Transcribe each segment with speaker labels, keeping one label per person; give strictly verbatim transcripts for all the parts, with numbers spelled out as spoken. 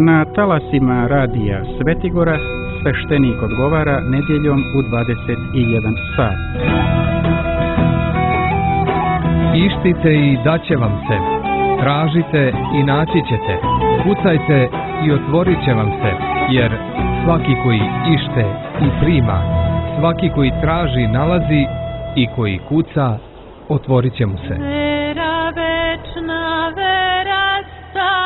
Speaker 1: Na talasima radija Svetigora sveštenik odgovara nedjeljom u dvadeset jedan sat.
Speaker 2: Ištite i daće vam se, tražite i naći ćete, kucajte i otvorit će vam se, jer svaki koji ište i prima, svaki koji traži nalazi i koji kuca otvorit će mu se.
Speaker 3: Vera večna, vera stara.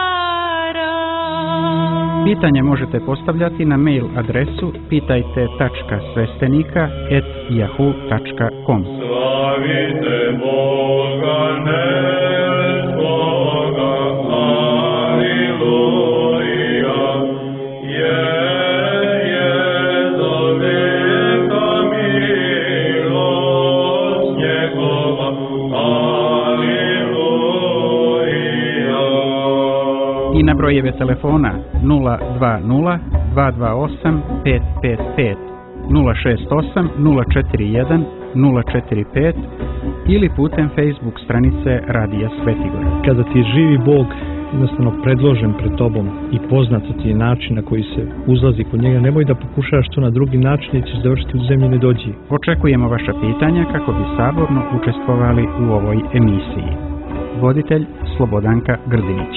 Speaker 1: Pitanje možete postavljati na mail adresu pitajte tačka sveštenika et yahoo tačka com.
Speaker 4: Slavite Boga nebskoga, aleluja, je, je za veka milost njegova, aleluja.
Speaker 1: I na brojeve telefona nula dva nula dva dva osam pet pet pet, nula šest osam nula četiri jedan nula četiri pet ili putem Facebook stranice Radija Svetigora.
Speaker 5: Kada ti je živi Bog jednostavno predložen pred tobom i poznat ti je način na koji se uzlazi kod njega, nemoj da pokušaš to na drugi način i ćeš završiti u zemlji nedođi.
Speaker 1: Očekujemo vaša pitanja kako bi saborno učestvovali u ovoj emisiji. Voditelj Slobodanka Grdinić.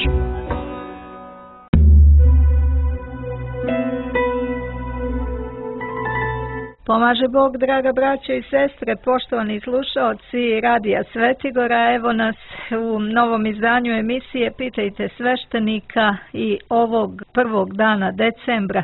Speaker 3: Pomaže Bog, draga braćo i sestre, poštovani slušaoci Radija Svetigora. Evo nas u novom izdanju emisije Pitajte sveštenika i ovog prvog dana decembra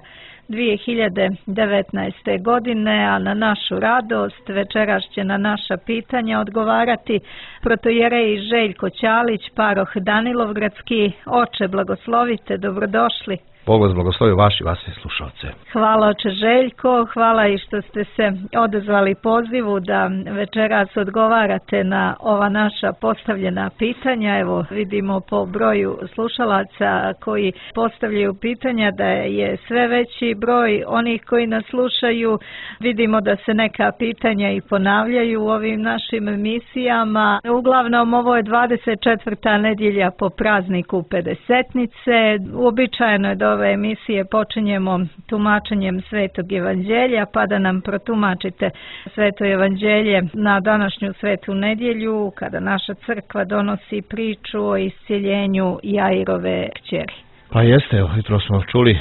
Speaker 3: dvije hiljade devetnaeste. godine, a na našu radost večeras će na naša pitanja odgovarati protojerej Željko Ćalić, paroh Danilovgradski. Oče, blagoslovite, dobrodošli.
Speaker 6: Bog vas blagoslovi, vaši vaši slušalce.
Speaker 3: Hvala oče Željko, hvala i što ste se odazvali pozivu da večeras odgovarate na ova naša postavljena pitanja. Evo vidimo po broju slušalaca koji postavljaju pitanja da je sve veći broj onih koji nas slušaju. Vidimo da se neka pitanja i ponavljaju u ovim našim emisijama. Uglavnom ovo je dvadeset četvrta nedjelja po prazniku Pedesetnice. Uobičajeno je da ove emisije počinjemo tumačenjem Svetog evanđelja, pa da nam protumačite Sveto evanđelje na današnju svetu nedjelju, kada naša crkva donosi priču o iscjeljenju Jairove kćeri.
Speaker 6: Pa jeste, evo, jutro smo čuli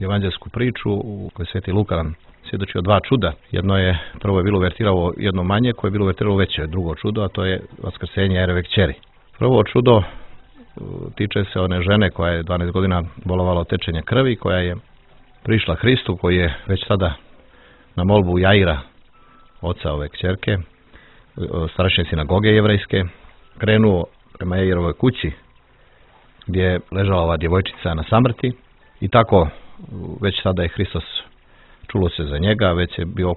Speaker 6: evanđelsku priču u kojoj Sveti Luka nam svjedoči o dva čuda. Jedno je, prvo je bilo uvertiralo jedno manje, koje je bilo uvertiralo veće, drugo čudo, a to je vaskrsenje Jairove kćeri. Prvo čudo tiče se one žene koja je dvanaest godina bolovala od tečenja krvi, koja je prišla Hristu, koji je već tada na molbu Jaira, oca ove kćerke, starešne sinagoge jevrejske, krenuo prema Jairovoj kući, gdje je ležala ova djevojčica na samrti, i tako već tada je Hristos, čulo se za njega, već je bio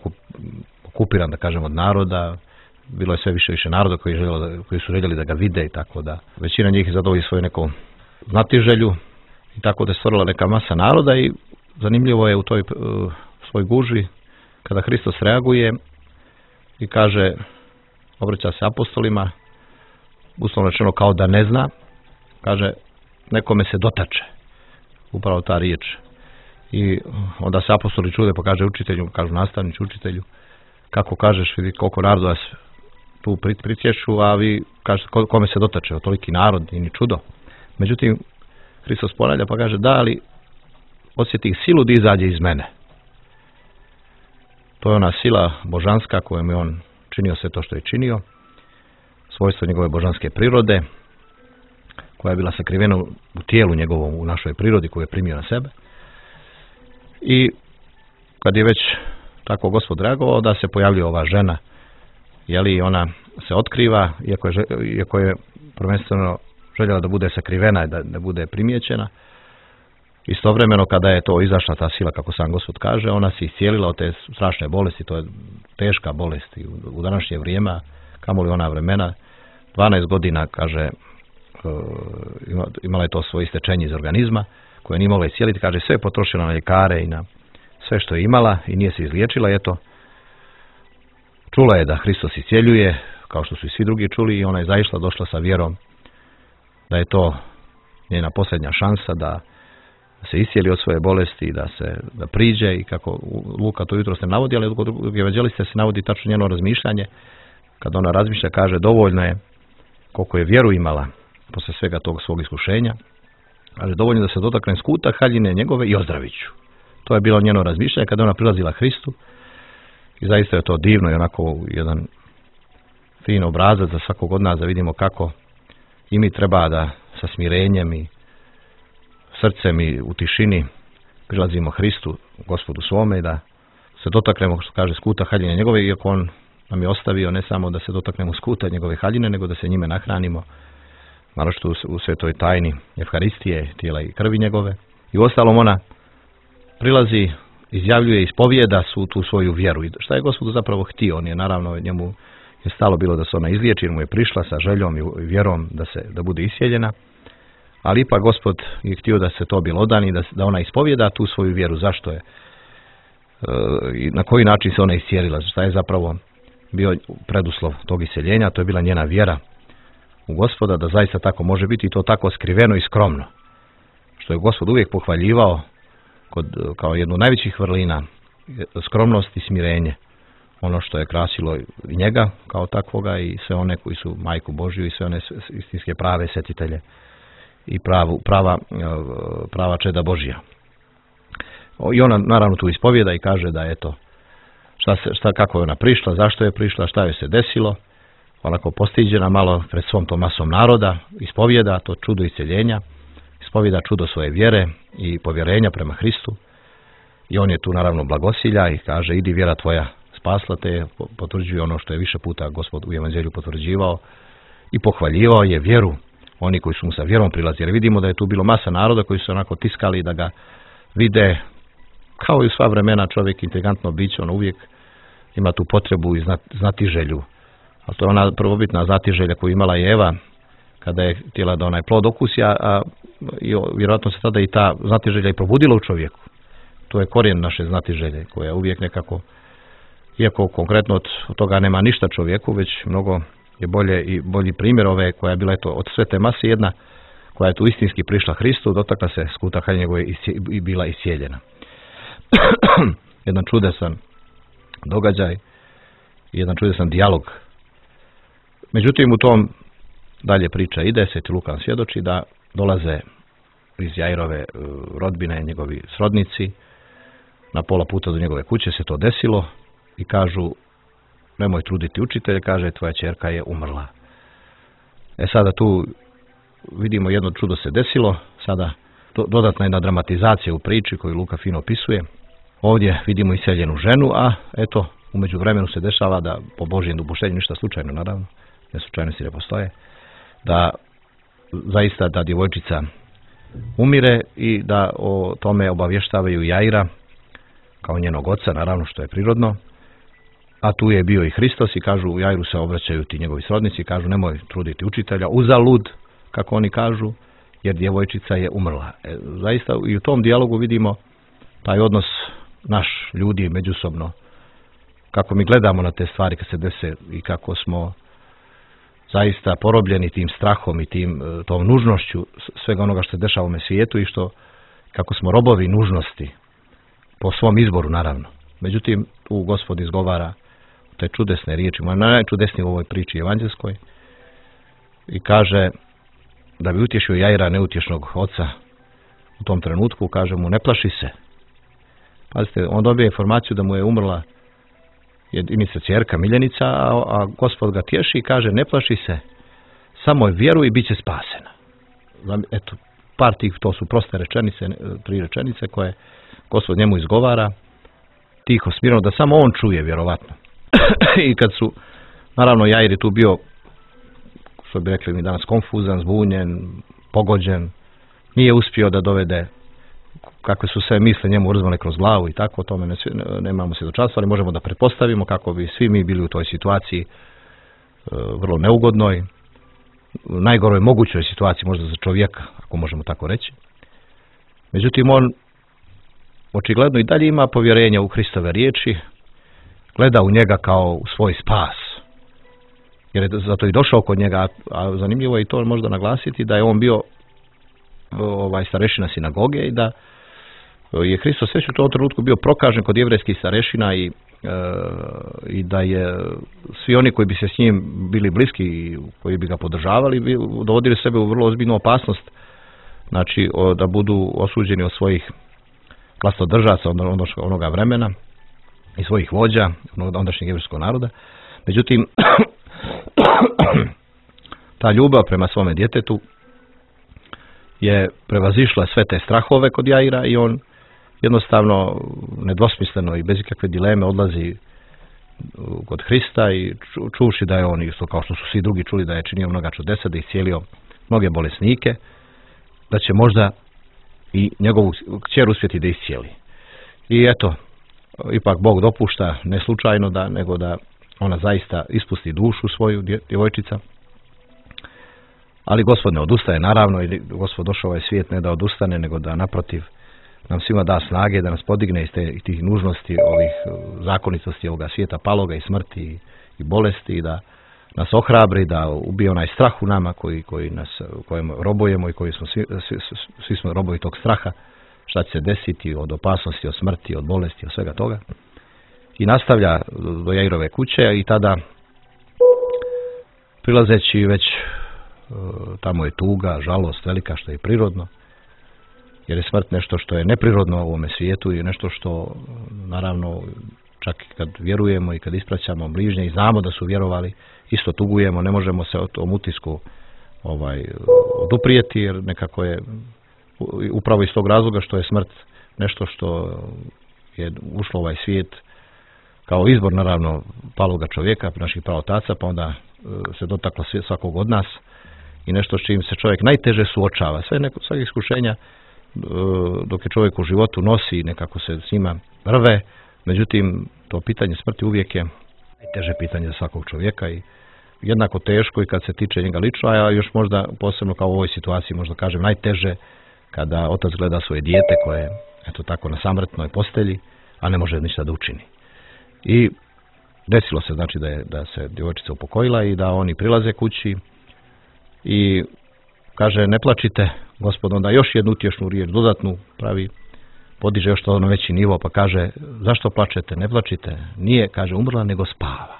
Speaker 6: okupiran, da kažem, od naroda. Bilo je sve više više naroda koji, željeli, koji su željeli da ga vide, i tako da većina njih je zadovolji svoju neku znatiželju, i tako da je stvorila neka masa naroda. I zanimljivo je u toj uh, svoj gužvi kada Hristos reaguje i kaže, obraća se apostolima, uslovno rečeno kao da ne zna, kaže, nekome se dotače, upravo ta riječ. I onda se apostoli čude, pa kaže učitelju, kažu nastavnici učitelju, kako kažeš, vidi koliko naroda tu pritječu, a vi kažete kome se dotače, toliki narod i ni čudo. Međutim, Hristos ponavlja pa kaže, da, ali osjetih silu da izađe iz mene. To je ona sila božanska kojom je on činio sve to što je činio, svojstvo njegove božanske prirode, koja je bila sakrivena u tijelu njegovom, u našoj prirodi koju je primio na sebe. I kad je već tako Gospod reagovao, da se pojavljuje ova žena, jeli, ona se otkriva, iako je, iako je prvenstveno željela da bude sakrivena i da, da bude primijećena. Istovremeno, kada je to izašla ta sila, kako sam Gospod kaže, ona se iscijelila od te strašne bolesti, to je teška bolest u, u današnje vrijeme, kamoli ona vremena. dvanaest godina, kaže, imala je to svoje istečenje iz organizma, koje nije mogla iscijeliti, kaže, sve je potrošila na ljekare i na sve što je imala i nije se izliječila. Eto, čula je da Hristos iscijeljuje, kao što su i svi drugi čuli, i ona je zaišla, došla sa vjerom da je to njena posljednja šansa, da da se iscijeli od svoje bolesti, da se da priđe i kako Luka to jutro se navodi, ali kod drugog evanđelista se navodi tačno njeno razmišljanje. Kad ona razmišlja, kaže dovoljno je koliko je vjeru imala posle svega tog svog iskušenja, kaže dovoljno da se dotaknem skuta haljine njegove i ozdravit ću. To je bilo njeno razmišljanje kada ona prilazila Hristu i zaista je to divno i onako jedan fin obrazac za svakog od nas da vidimo kako i mi treba da sa smirenjem i srcem i u tišini prilazimo Hristu, Gospodu svome i da se dotaknemo, što kaže, skuta haljine njegove, iako on nam je ostavio ne samo da se dotaknemo skuta njegove haljine, nego da se njime nahranimo, malo što u svetoj tajni Evharistije, tijela i krvi njegove. I uostalom ona prilazi, izjavljuje, ispovijeda su tu svoju vjeru. I šta je Gospodu zapravo htio? On je naravno, njemu je stalo bilo da se ona izliječi, jer mu je prišla sa željom i vjerom da se da bude iscijeljena. Ali ipak Gospod je htio da se to bjelodani, da, da ona ispovijeda tu svoju vjeru. Zašto je? E, i na koji način se ona iscijelila? Šta je zapravo bio preduslov tog isceljenja? To je bila njena vjera u Gospoda, da zaista tako može biti i to tako skriveno i skromno. Što je Gospod uvijek pohvaljivao kod, kao jednu od najvećih vrlina, skromnost i smirenje. Ono što je krasilo i njega kao takvoga i sve one koji su Majku Božju i sve one istinske prave sjetitelje i pravu, prava, prava čeda Božja. I ona naravno tu ispovijeda i kaže da eto, šta se, šta, kako je ona prišla, zašto je prišla, šta joj se desilo. Onako postiđena malo pred svom tom masom naroda, ispovijeda to čudo isceljenja, ispovijeda čudo svoje vjere i povjerenja prema Hristu. I on je tu naravno blagosilja i kaže idi vjera tvoja spasla te, potvrđuje ono što je više puta Gospod u evanđelju potvrđivao i pohvaljivao je vjeru oni koji su mu sa vjerom prilazili. Jer vidimo da je tu bilo masa naroda koji su onako tiskali da ga vide, kao i u sva vremena čovjek inteligentno biće, on uvijek ima tu potrebu i znati želju. A to je ona prvobitna znatiželja koju imala i Eva kada je htjela da onaj plod okusi, a, a i, vjerojatno se tada i ta znatiželja i probudila u čovjeku. To je korijen naše znatiželje koja uvijek nekako, iako konkretno od, od toga nema ništa čovjeku, već mnogo je bolje i bolji primjer ove koja je bila eto, od sve te mase jedna koja je tu istinski prišla Hristu, dotakla se skuta haljine njegove i bila iscijeljena. Jedan čudesan događaj i jedan čudesan dijalog. Međutim, u tom dalje priča ide, Sveti Luka svjedoči da dolaze iz Jairove rodbine njegovi srodnici, na pola puta do njegove kuće se to desilo i kažu nemoj truditi učitelje, kaže tvoja ćerka je umrla. E sada tu vidimo jedno čudo se desilo, sada dodatna jedna dramatizacija u priči koju Luka fino opisuje. Ovdje vidimo iseljenu ženu, a eto u međuvremenu se dešava da po Božjem dopuštenju, ništa slučajno naravno, ne slučajnosti ne postoje, da zaista ta djevojčica umire i da o tome obavještavaju Jaira kao njenog oca, naravno što je prirodno, a tu je bio i Hristos i kažu u Jairu se obraćaju ti njegovi srodnici i kažu nemoj truditi učitelja, uzalud, kako oni kažu, jer djevojčica je umrla. E, zaista i u tom dijalogu vidimo taj odnos naš ljudi međusobno, kako mi gledamo na te stvari kad se dese i kako smo zaista porobljeni tim strahom i tim, tom nužnošću svega onoga što se dešava u ovome svijetu i što kako smo robovi nužnosti po svom izboru naravno. Međutim, tu Gospod izgovara te čudesne riječi, moja najčudesnije u ovoj priči evanđelskoj i kaže da bi utješio Jaira neutješnog oca u tom trenutku, kaže mu ne plaši se. Pazite, on dobije informaciju da mu je umrla jedinica ćerka, miljenica, a, a Gospod ga tješi i kaže ne plaši se, samo vjeruj i bit će spasena. Eto, par tih, to su proste rečenice, tri rečenice koje Gospod njemu izgovara, tiho, smirno, da samo on čuje, vjerovatno. I kad su, naravno, Jair je tu bio, što bi rekli mi danas, konfuzan, zbunjen, pogođen, nije uspio da dovede kakve su sve misle njemu urzvane kroz glavu i tako, o tome ne, nemamo svjedočanstva, ali možemo da pretpostavimo kako bi svi mi bili u toj situaciji e, vrlo neugodnoj, najgoroj mogućoj situaciji možda za čovjeka, ako možemo tako reći. Međutim, on očigledno i dalje ima povjerenja u Hristove riječi, gleda u njega kao u svoj spas, jer je zato i došao kod njega, a zanimljivo je i to možda naglasiti da je on bio ovaj starešina sinagoge i da je Hristos već u tom trenutku bio prokažen kod jevrejskih starešina i, e, i da je svi oni koji bi se s njim bili bliski i koji bi ga podržavali bi dovodili sebe u vrlo ozbiljnu opasnost, znači o, da budu osuđeni od svojih vlastodržaca onoga vremena i svojih vođa ondašnjeg jevrejskog naroda. Međutim, ta ljubav prema svome djetetu je prevazišla sve te strahove kod Jaira i on jednostavno nedvosmisleno i bez ikakve dileme odlazi kod Hrista i čuši da je on, isto kao što su svi drugi čuli, da je činio mnoga čudesa, da je iscijelio mnoge bolesnike, da će možda i njegovu kćer uspjeti da iscijeli. I eto, ipak Bog dopušta, ne slučajno, da, nego da ona zaista ispusti dušu svoju, djevojčica. Ali Gospod ne odustaje, naravno, i Gospod došao ovaj svijet ne da odustane, nego da naprotiv nam svima da snage, da nas podigne iz te, tih nužnosti, ovih zakonitosti ovoga svijeta, paloga i smrti i, i bolesti, i da nas ohrabri, da ubije onaj strah u nama koji, koji nas, kojem robujemo i koji smo svi, svi, svi smo robovi tog straha, šta će se desiti od opasnosti, od smrti, od bolesti, od svega toga. I nastavlja do Jairove kuće i tada, prilazeći već tamo je tuga, žalost velika, što je prirodno, jer je smrt nešto što je neprirodno u ovome svijetu i nešto što, naravno, čak i kad vjerujemo i kad ispraćamo bližnje i znamo da su vjerovali, isto tugujemo, ne možemo se o tom utisku ovaj, oduprijeti, jer nekako je upravo iz tog razloga što je smrt nešto što je ušlo u ovaj svijet kao izbor, naravno, paloga čovjeka, naših praotaca, pa onda se dotaklo svakog od nas i nešto s čim se čovjek najteže suočava. Sve neko, svake iskušenja dok je čovjek u životu nosi, nekako se s njima rve, međutim, to pitanje smrti uvijek je najteže pitanje za svakog čovjeka i jednako teško i kad se tiče njega lično, a još možda posebno kao u ovoj situaciji, možda kažem najteže kada otac gleda svoje dijete koje je, eto tako, na samrtnoj postelji, a ne može ništa da učini. I desilo se, znači, da je, da se djevojčica upokojila i da oni prilaze kući i kaže, ne plačite, Gospod onda još jednu utješnu riječ, dodatnu pravi, podiže još to na veći nivo, pa kaže, zašto plačete, ne plačite, nije, kaže, umrla, nego spava.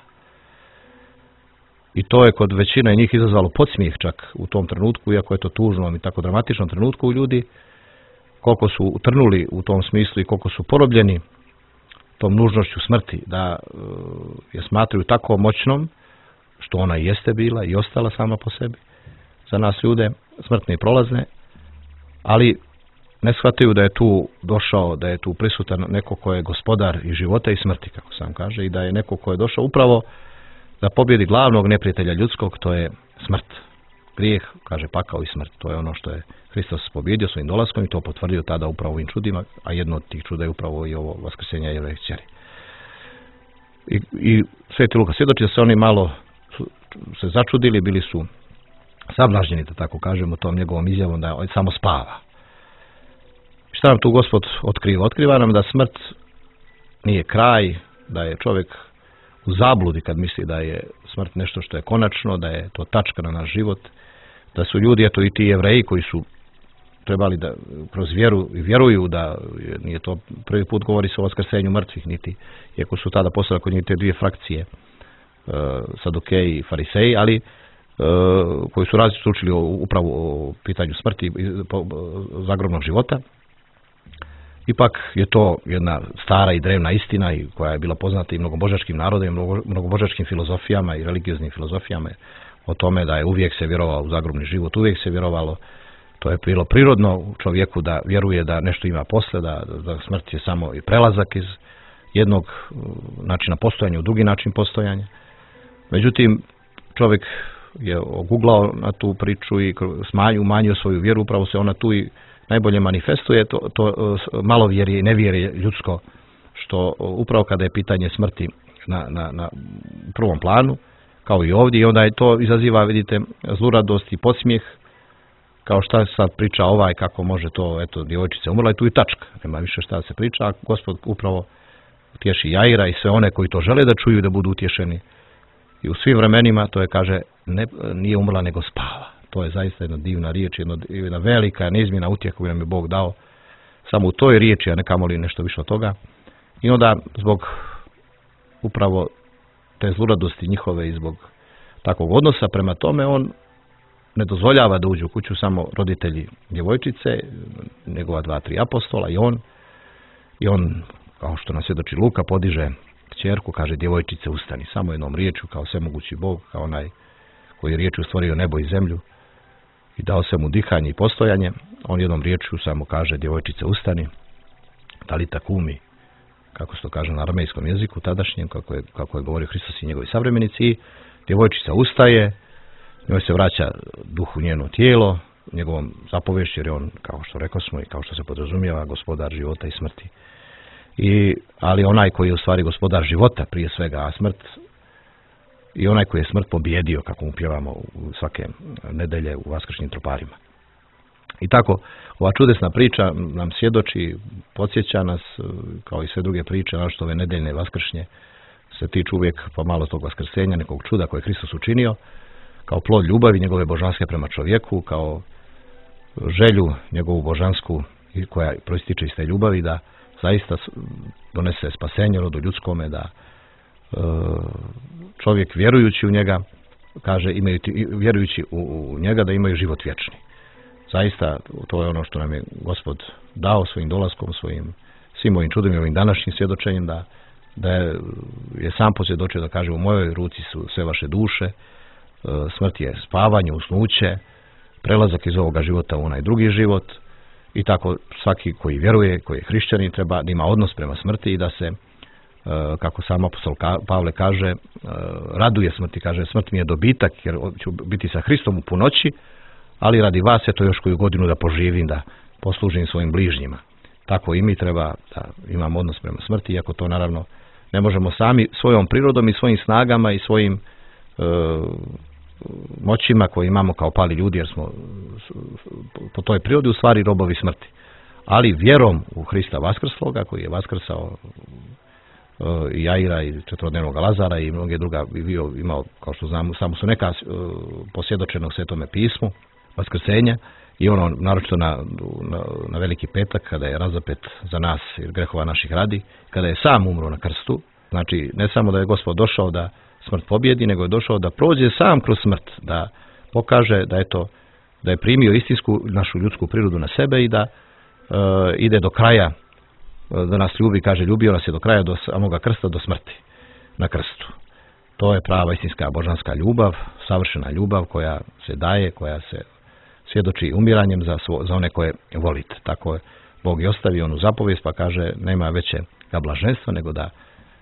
Speaker 6: I to je kod većine njih izazvalo podsmijeh čak u tom trenutku, iako je to tužnom i tako dramatičnom trenutku u ljudi, koliko su utrnuli u tom smislu i koliko su porobljeni tom nužnošću smrti, da je smatraju tako moćnom, što ona jeste bila i ostala sama po sebi, za nas ljude, smrtne i prolazne, ali ne shvataju da je tu došao, da je tu prisutan neko ko je gospodar i života i smrti, kako sam kaže, i da je neko ko je došao upravo da pobjedi glavnog neprijatelja ljudskog, to je smrt. Grijeh, kaže, pakao i smrt. To je ono što je Hristos pobjedio svojim dolaskom i to potvrdio tada upravo ovim čudima, a jedno od tih čuda je upravo i ovo vaskrsenje Jairove kćeri. I, i Sveti Luka svjedoči da se oni malo se začudili, bili su sablažnjeni, da tako kažemo, tom njegovom izjavom da on samo spava. Šta nam tu Gospod otkriva? Otkriva nam da smrt nije kraj, da je čovjek u zabludi kad misli da je smrt nešto što je konačno, da je to tačka na naš život, da su ljudi, eto i ti Jevreji koji su trebali da kroz vjeru i vjeruju da nije to prvi put govori se o vaskrsenju mrtvih, niti, iako su tada postale kod njih te dvije frakcije, uh, Sadukeji i Fariseji, ali uh, koji su različito učili o, upravo o pitanju smrti i zagrobnog života. Ipak je to jedna stara i drevna istina i koja je bila poznata i mnogobožačkim narodima, i mnogobožačkim filozofijama i religioznim filozofijama o tome da je uvijek se vjerovalo u zagrobni život, uvijek se vjerovalo, to je bilo prirodno u čovjeku da vjeruje da nešto ima posle, da, da smrt je samo i prelazak iz jednog načina postojanja u drugi način postojanja. Međutim, čovjek je oguglao na tu priču i smanju, umanjio svoju vjeru, upravo se ona tu i najbolje manifestuje, to, to malovjerje i nevjerje ljudsko, što upravo kada je pitanje smrti na, na, na prvom planu, kao i ovdje, i onda je to izaziva, vidite, zluradost i podsmijeh, kao šta sad priča ovaj, kako može to, eto, djevojčica umrla i tu i tačka, nema više šta se priča, a Gospod upravo utješi Jaira i sve one koji to žele da čuju da budu utješeni. I u svim vremenima, to je, kaže, ne, nije umrla nego spava. To je zaista jedna divna riječ, jedna, jedna velika, neizmjena utjeha koju nam je Bog dao samo u toj riječi, a ne kamoli nešto više od toga. I onda zbog upravo te zluradosti njihove i zbog takvog odnosa prema tome, on ne dozvoljava da uđu u kuću samo roditelji djevojčice, njegova dva, tri apostola i on. I on, kao što nas svjedoči Luka, podiže kćerku, kaže djevojčice ustani, samo jednom riječju, kao svemogući Bog, kao onaj koji je riječju stvorio nebo i zemlju i dao se mu dihanje i postojanje. On jednom riječju samo kaže djevojčice ustani, talita kumi, kako se to kaže na aramejskom jeziku tadašnjem, kako je, kako je govorio Hristos i njegovi savremenici. I djevojčica ustaje, njoj se vraća duh u njeno tijelo, njegovom zapovješću, jer je on, kao što rekao smo i kao što se podrazumijeva, gospodar života i smrti. I, ali onaj koji je u stvari gospodar života prije svega, a smrt, i onaj koji je smrt pobjedio, kako mu pjevamo u svake nedelje u vaskršnjim troparima. I tako, ova čudesna priča nam svjedoči, podsjeća nas, kao i sve druge priče, našto ove nedeljne vaskršnje, se tiču uvijek pomalo tog vaskrsenja, nekog čuda koje je Hristos učinio, kao plod ljubavi njegove božanske prema čovjeku, kao želju njegovu božansku koja proističe iz te ljubavi da zaista donese spasenje rodu ljudskome, da e, čovjek vjerujući u njega, kaže imaju, vjerujući u, u njega da imaju život vječni. Zaista to je ono što nam je Gospod dao svojim dolaskom, svojim svim ovim čudom i ovim današnjim svjedočenjem, da, da je, je sam posvjedočio da kaže u mojoj ruci su sve vaše duše, smrt je spavanje, usnuće, prelazak iz ovoga života u onaj drugi život. I tako svaki koji vjeruje, koji je hrišćanin, treba da ima odnos prema smrti i da se, kako sam apostol Pavle kaže, raduje smrti, kaže smrt mi je dobitak jer ću biti sa Hristom u punoći, ali radi vas je to još koju godinu da poživim, da poslužim svojim bližnjima. Tako i mi treba da imamo odnos prema smrti, iako to naravno ne možemo sami svojom prirodom i svojim snagama i svojim e, moćima koje imamo kao pali ljudi, jer smo po toj prirodi u stvari robovi smrti. Ali vjerom u Hrista vaskrsloga, koji je vaskrsao e, i Jaira i četvorodnevnog Lazara i mnoge druga, bio imao, kao što znamo, samo su neka e, posvjedočena u Svetome pismu, vaskrsenja, i ono naročito na, na, na Veliki petak, kada je razapet za nas jer grehova naših radi, kada je sam umro na krstu. Znači, ne samo da je Gospod došao da smrt pobjedi, nego je došao da prođe sam kroz smrt, da pokaže da je to, da je primio istinsku našu ljudsku prirodu na sebe i da e, ide do kraja, da nas ljubi, kaže ljubio nas je do kraja, do samoga krsta, do smrti na krstu. To je prava istinska božanska ljubav, savršena ljubav koja se daje, koja se svjedoči umiranjem za, svo, za one koje volite. Tako je Bog i ostavi onu zapovijest, pa kaže nema veće blaženstva nego da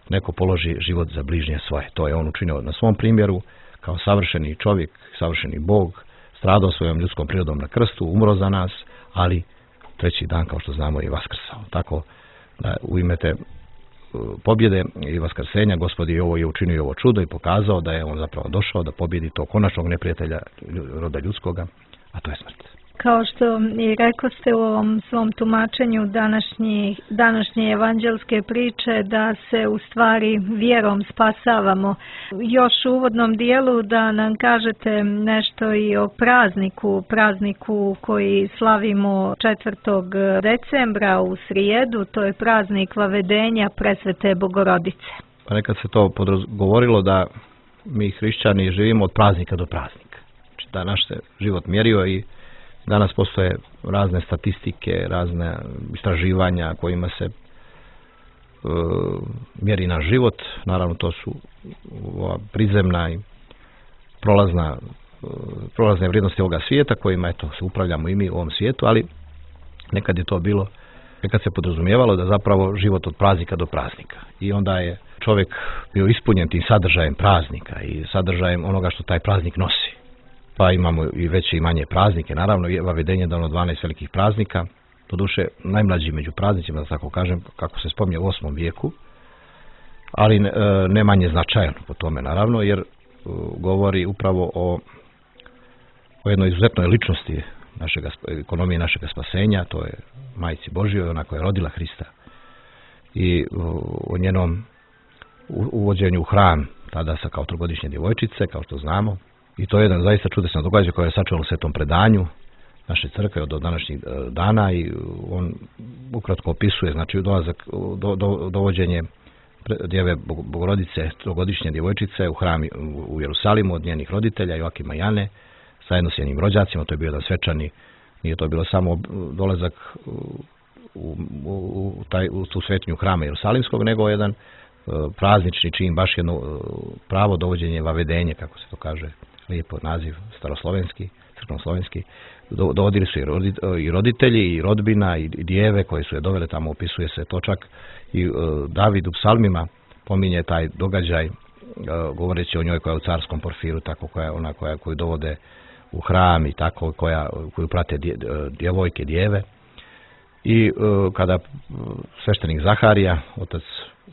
Speaker 6: neko položi život za bližnje svoje. To je on učinio na svom primjeru, kao savršeni čovjek, savršeni Bog, stradao svojom ljudskom prirodom na krstu, umro za nas, ali treći dan, kao što znamo, je vaskrsao. Tako da u ime te pobjede i vaskrsenja Gospod je ovo je učinio ovo čudo i pokazao da je on zapravo došao da pobjedi tog konačnog neprijatelja roda ljudskoga, a to je smrt.
Speaker 3: Kao što i rekao ste u ovom svom tumačenju današnji, današnje evanđelske priče, da se u stvari vjerom spasavamo. Još u uvodnom dijelu da nam kažete nešto i o prazniku, prazniku koji slavimo četvrtog decembra u srijedu, to je praznik Vavedenja Presvete Bogorodice.
Speaker 6: Pa nekad se to govorilo da mi hrišćani živimo od praznika do praznika. Znači da naš se život mjerio i danas postoje razne statistike, razne istraživanja kojima se e, mjeri naš život. Naravno to su ova prizemna i prolazna, e, prolazne vrijednosti ovoga svijeta kojima eto, se upravljamo i mi u ovom svijetu, ali nekad je to bilo, nekad se podrazumijevalo da zapravo život od praznika do praznika. I onda je čovjek bio ispunjen tim sadržajem praznika i sadržajem onoga što taj praznik nosi. Pa imamo i veće i manje praznike. Naravno, Vavedenje je dano dvanaest velikih praznika. Doduše, najmlađi među praznicima, da tako kažem, kako se spominje u osmom vijeku, ali ne, ne manje značajan po tome, naravno, jer govori upravo o, o jednoj izuzetnoj ličnosti našega, ekonomije našega spasenja, to je Majci Božjoj, ona koja je rodila Hrista, i o njenom uvođenju u hram, tada sa kao trogodišnje djevojčice, kao što znamo, I to je jedan zaista čudesan događaj koji je sačuvan u Svetom predanju naše crkve od današnjih dana i on ukratko opisuje, znači dolazak, do, do, dovođenje djeve Bogorodice, trogodišnje djevojčice u hram u Jerusalimu od njenih roditelja Joakima i Jane, zajedno s njenim rođacima. To je bio jedan svečani, nije to bilo samo dolazak u, u, u, taj, u tu svetinju hrama Jerusalimskog, nego jedan praznični čin, baš jedno pravo dovođenje, vavedenje, kako se to kaže, lijepo naziv, staroslovenski, crkveno-slovenski. Dovodili su i roditelji, i rodbina, i djeve koje su je dovele tamo, opisuje se to čak i David u psalmima pominje taj događaj, govoreći o njoj koja je u carskom porfiru, tako koja je ona koja, koju dovode u hram i tako, koja, koju prate djevojke, djeve. I kada sveštenik Zaharija, otac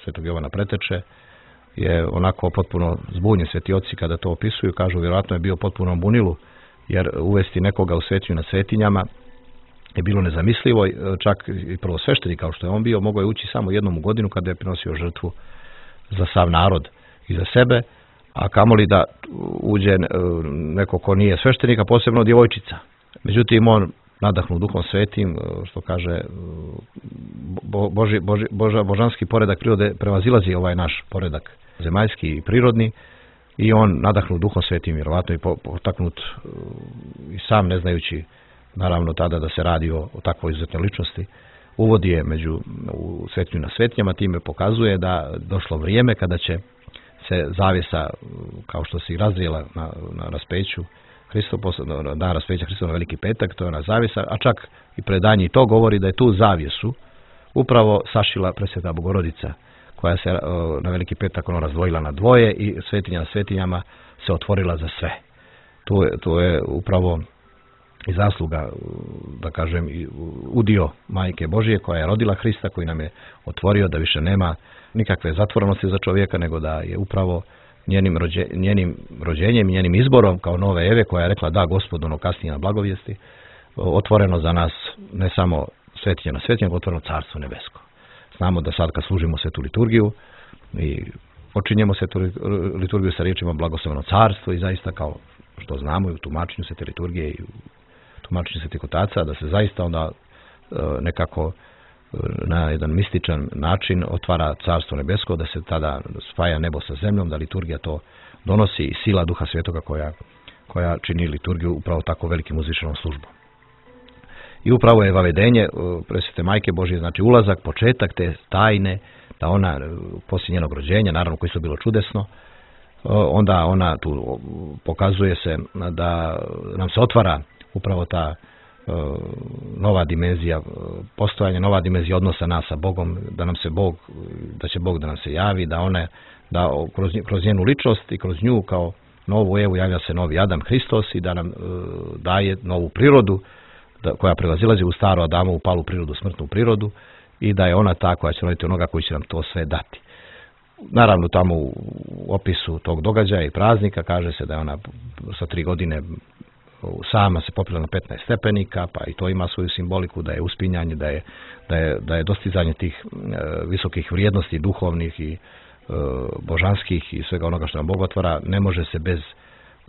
Speaker 6: Svetog Jovana Preteče, je onako potpuno zbunjen, sveti oci kada to opisuju, kažu vjerojatno je bio potpuno bunilu, jer uvesti nekoga u svetinju na svetinjama je bilo nezamislivo, čak i prvo sveštenik kao što je on bio, mogao je ući samo jednom u godinu kada je prinosio žrtvu za sav narod i za sebe, a kamoli da uđe neko ko nije sveštenik, a posebno djevojčica. Međutim, on nadahnu Duhom Svetim, što kaže, Boži, Boži, Boža, božanski poredak prirode prevazilazi ovaj naš poredak zemaljski i prirodni, i on nadahnu Duhom Svetim, vjerovatno i potaknut i sam ne znajući naravno tada da se radi o, o takvoj izuzetnoj ličnosti, uvodi je među u svetinju na svetinjama, time pokazuje da došlo vrijeme kada će se zavjesa, kao što se i razvijela na, na raspeću Hristo, dan raspeća Hristova na Veliki petak, to je ona zavjesa, a čak i predanje to govori da je tu zavjesu upravo sašila Presveta Bogorodica, koja se na Veliki petak ono razdvojila na dvoje i svetinja na svetinjama se otvorila za sve. To je, to je upravo i zasluga, da kažem, i udio Majke Božije koja je rodila Hrista, koji nam je otvorio da više nema nikakve zatvorenosti za čovjeka, nego da je upravo njenim, rođe, njenim rođenjem i njenim izborom kao nove Eve, koja je rekla da Gospodu, ono kasnije na blagovijesti, otvoreno za nas ne samo svetinja na svetinja, nego otvoreno Carstvo nebesko. Znamo da sad kad služimo svetu liturgiju i počinjemo svetu liturgiju sa riječima blagosloveno carstvo, i zaista kao što znamo i u tumačenju svete liturgije i u tumačenju svetih otaca, da se zaista onda nekako na jedan mističan način otvara Carstvo nebesko, da se tada spaja nebo sa zemljom, da liturgija to donosi i sila Duha Svetoga koja, koja čini liturgiju upravo tako velikim uzvišenom službom. I upravo je vavedenje Presvete Majke Božje, znači ulazak, početak te tajne, da ona poslije njenog rođenja, naravno koji su bilo čudesno, onda ona tu pokazuje se da nam se otvara upravo ta nova dimenzija postojanja, nova dimenzija odnosa nas sa Bogom, da nam se Bog, da će Bog da nam se javi, da one, da kroz, kroz njenu ličnost i kroz nju kao novu Evu javlja se novi Adam Hristos i da nam daje novu prirodu, da, koja prevazilazi u staru Adamovu palu prirodu, smrtnu prirodu, i da je ona ta koja će roditi onoga koji će nam to sve dati. Naravno, tamo u opisu tog događaja i praznika kaže se da je ona sa tri godine sama se popela na petnaest stepenika, pa i to ima svoju simboliku, da je uspinjanje, da je, da je, da je dostizanje tih e, visokih vrijednosti duhovnih i e, božanskih i svega onoga što nam Bog otvara, ne može se bez,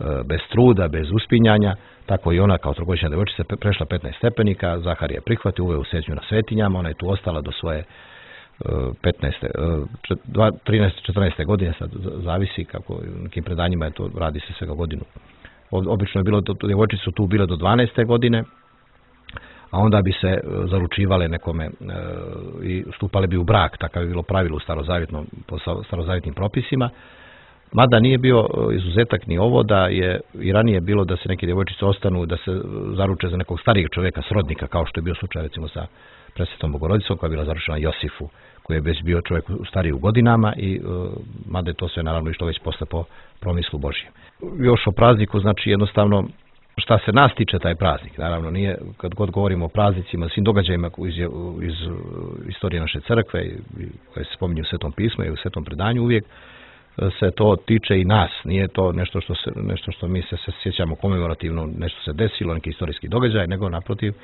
Speaker 6: e, bez truda, bez uspinjanja. Tako i ona kao trogodišnja djevojčica prešla petnaest stepenika, Zaharija je prihvatio, uveo u svetinju na svetinjama, ona je tu ostala do svoje petnaeste, trinaeste, četrnaeste godine, sad zavisi kako u nekim predanjima je to, radi se svega godinu. Obično je bilo, djevojčice su tu bile do dvanaeste godine, a onda bi se zaručivale nekome e, i stupale bi u brak, takav je bilo pravilo u starozavjetnom, po starozavjetnim propisima. Mada nije bio izuzetak ni ovo, da je i ranije bilo da se neke djevojčice ostanu, da se zaruče za nekog starijeg čovjeka, srodnika, kao što je bio slučaj recimo sa Presvetom Bogorodicom, koja je bila zaručena Josifu, koji je već bio čovjek stariji u godinama, i uh, mada je to sve naravno išlo već posle po promislu Božjem. Još o prazniku, znači jednostavno šta se nas tiče taj praznik, naravno nije, kad god govorimo o praznicima, svim događajima iz, iz istorije naše crkve koje se spominju u Svetom pismu i u Svetom predanju, uvijek se to tiče i nas, nije to nešto što, se, nešto što mi se, se sjećamo komemorativno, nešto se desilo, neki istorijski događaj, nego naprotiv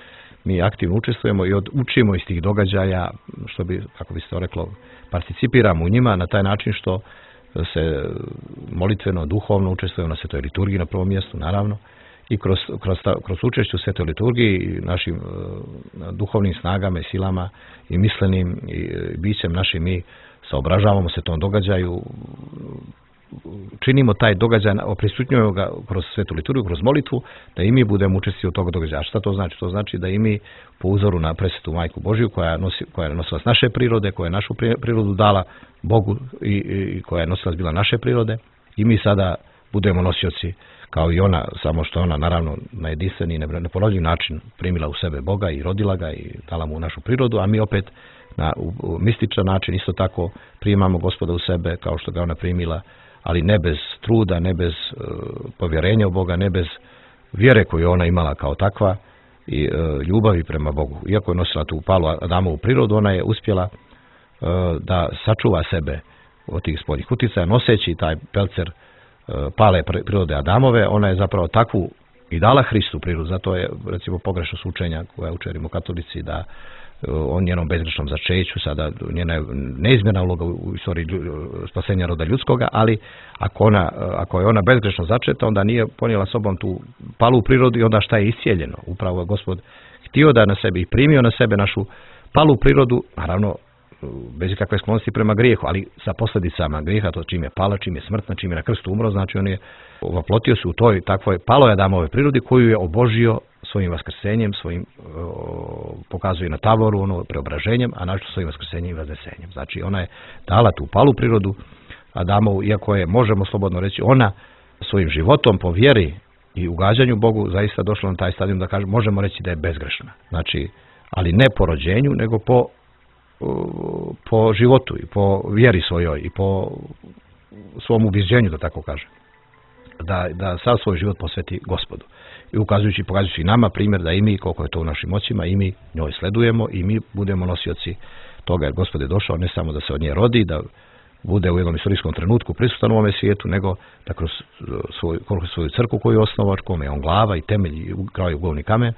Speaker 6: mi aktivno učestvujemo i od, učimo iz tih događaja, što bi, kako bi se to reklo, participiramo u njima na taj način što se molitveno, duhovno učestvujemo na svetoj liturgiji na prvom mjestu, naravno, i kroz, kroz, kroz učešću u svetoj liturgiji i našim uh, duhovnim snagama i silama i mislenim i bićem našim mi saobražavamo se tom događaju, činimo taj događaj, prisutnjujemo ga kroz svetu liturgiju, kroz molitvu, da i mi budemo učestvovali u tog događaja. Šta to znači? To znači da i mi po uzoru na presvetu Majku Božiju, koja, nosi, koja je nosilac naše prirode, koja je našu prirodu dala Bogu i, i koja je nosilac bila naše prirode, i mi sada budemo nosioci kao i ona, samo što ona naravno na jedinstveni i neponovljiv način primila u sebe Boga i rodila ga i dala mu našu prirodu, a mi opet na u, u mističan način isto tako primamo Gospoda u sebe kao što ga ona primila, ali ne bez truda, ne bez uh, povjerenja u Boga, ne bez vjere koju ona imala kao takva i uh, ljubavi prema Bogu. Iako je nosila tu palu Adamovu prirodu, ona je uspjela uh, da sačuva sebe od tih spoljnih uticaja, noseći taj pelcer uh, pale prirode Adamove. Ona je zapravo takvu i dala Hristu prirodu, zato je recimo pogrešno učenja koja učerimo katolici da o njenom bezgrešnom začeću, sada njena je neizmjerna uloga u istoriji spasenja roda ljudskoga, ali ako, ona, ako je ona bezgrešno začeta, onda nije ponijela sobom tu palu prirodu i onda šta je iscijeljeno. Upravo je Gospod htio da na sebi i primio na sebe našu palu prirodu, naravno bez ikakve sklonosti prema grijehu, ali sa posljedicama grijeha, to čim je pala, čim je smrtna, čim je na krstu umro, znači on je voplotio se u toj takvoj paloj Adamove prirodi koju je obožio svojim vaskrsenjem, svojim o, pokazuje na tavoru, ono preobraženjem, a našto svojim vaskrsenjem i vaznesenjem. Znači ona je dala tu palu prirodu Adamovu, iako je, možemo slobodno reći, ona svojim životom po vjeri i ugađanju Bogu zaista došla na taj stadijum da kažemo, možemo reći da je bezgrešna. Znači, ali ne po rođenju, nego po po životu i po vjeri svojoj i po svom ubjeđenju, da tako kažem. Da, da sav svoj život posveti Gospodu. I ukazujući, pokazujući nama primjer da i mi, koliko je to u našim moćima, i mi njoj sledujemo i mi budemo nosioci toga, jer Gospod je došao ne samo da se od nje rodi, da bude u jednom istorijskom trenutku prisutan u ovome svijetu, nego da kroz svoju, kroz svoju crkvu koju je osnovao, kome je on glava i temelj i kraj ugovni kamen,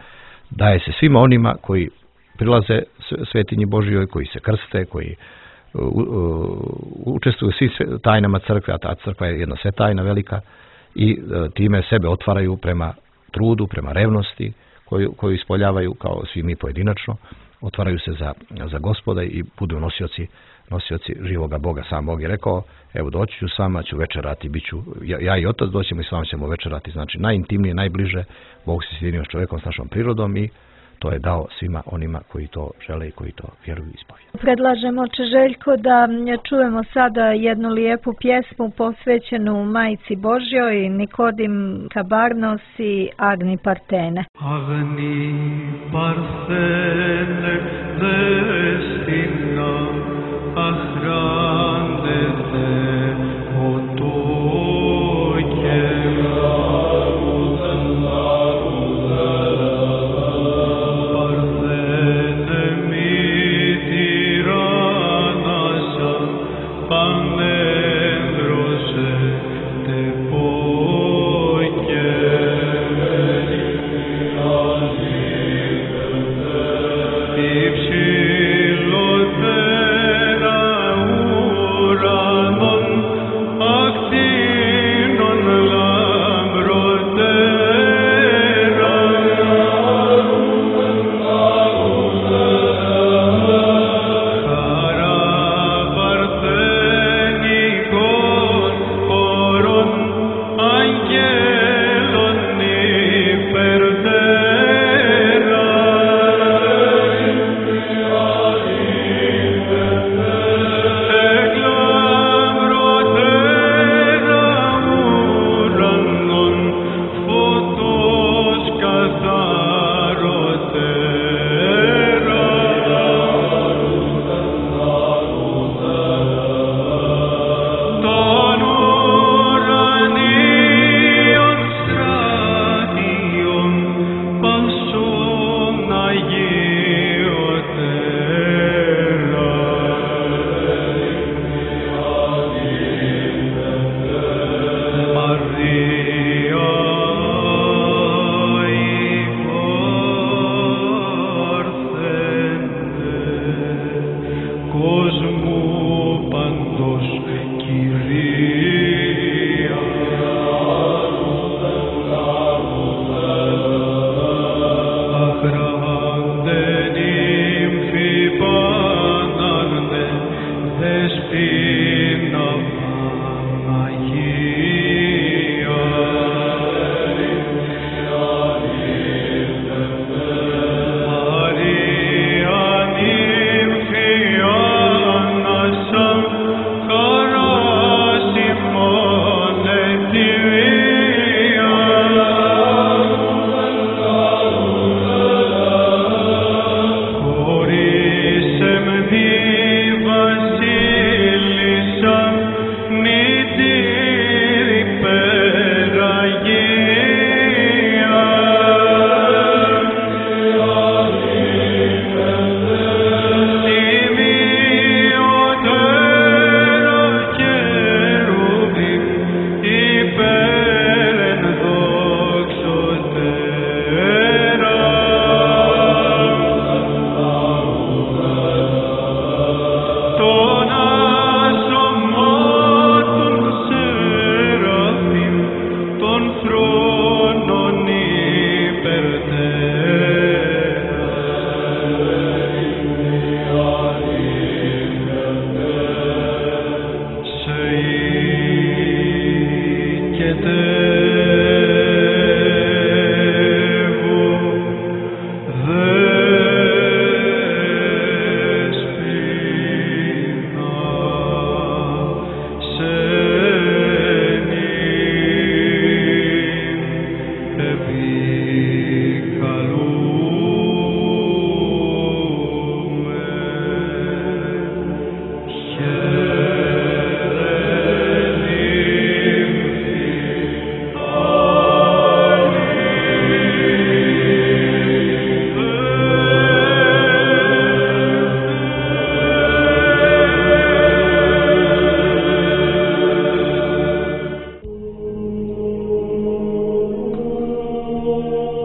Speaker 6: daje se svima onima koji prilaze svetinji Božjoj, koji se krste, koji uh, uh, učestvuju u svim tajnama crkve, a ta crkva je jedna svetajna velika, i uh, time sebe otvaraju prema trudu, prema revnosti koju, koju ispoljavaju kao svi mi pojedinačno, otvaraju se za, za Gospoda i budu nosioci, nosioci živoga Boga. Sam Bog je rekao, evo doći ću s vama, ću večerati, bit ću, ja, ja i Otac doćemo i s vama ćemo večerati. Znači najintimnije, najbliže, Bog se sjedinio s čovjekom, s našom prirodom, i to je dao svima onima koji to žele i koji to vjeruju i ispovjedaju.
Speaker 3: Predlažemo, oče Željko, da čujemo sada jednu lijepu pjesmu posvećenu Majci Božjoj, Nikodim Kabarnos i Agni Partene.
Speaker 4: Agni Partene destina ahrande te otoke. Angelo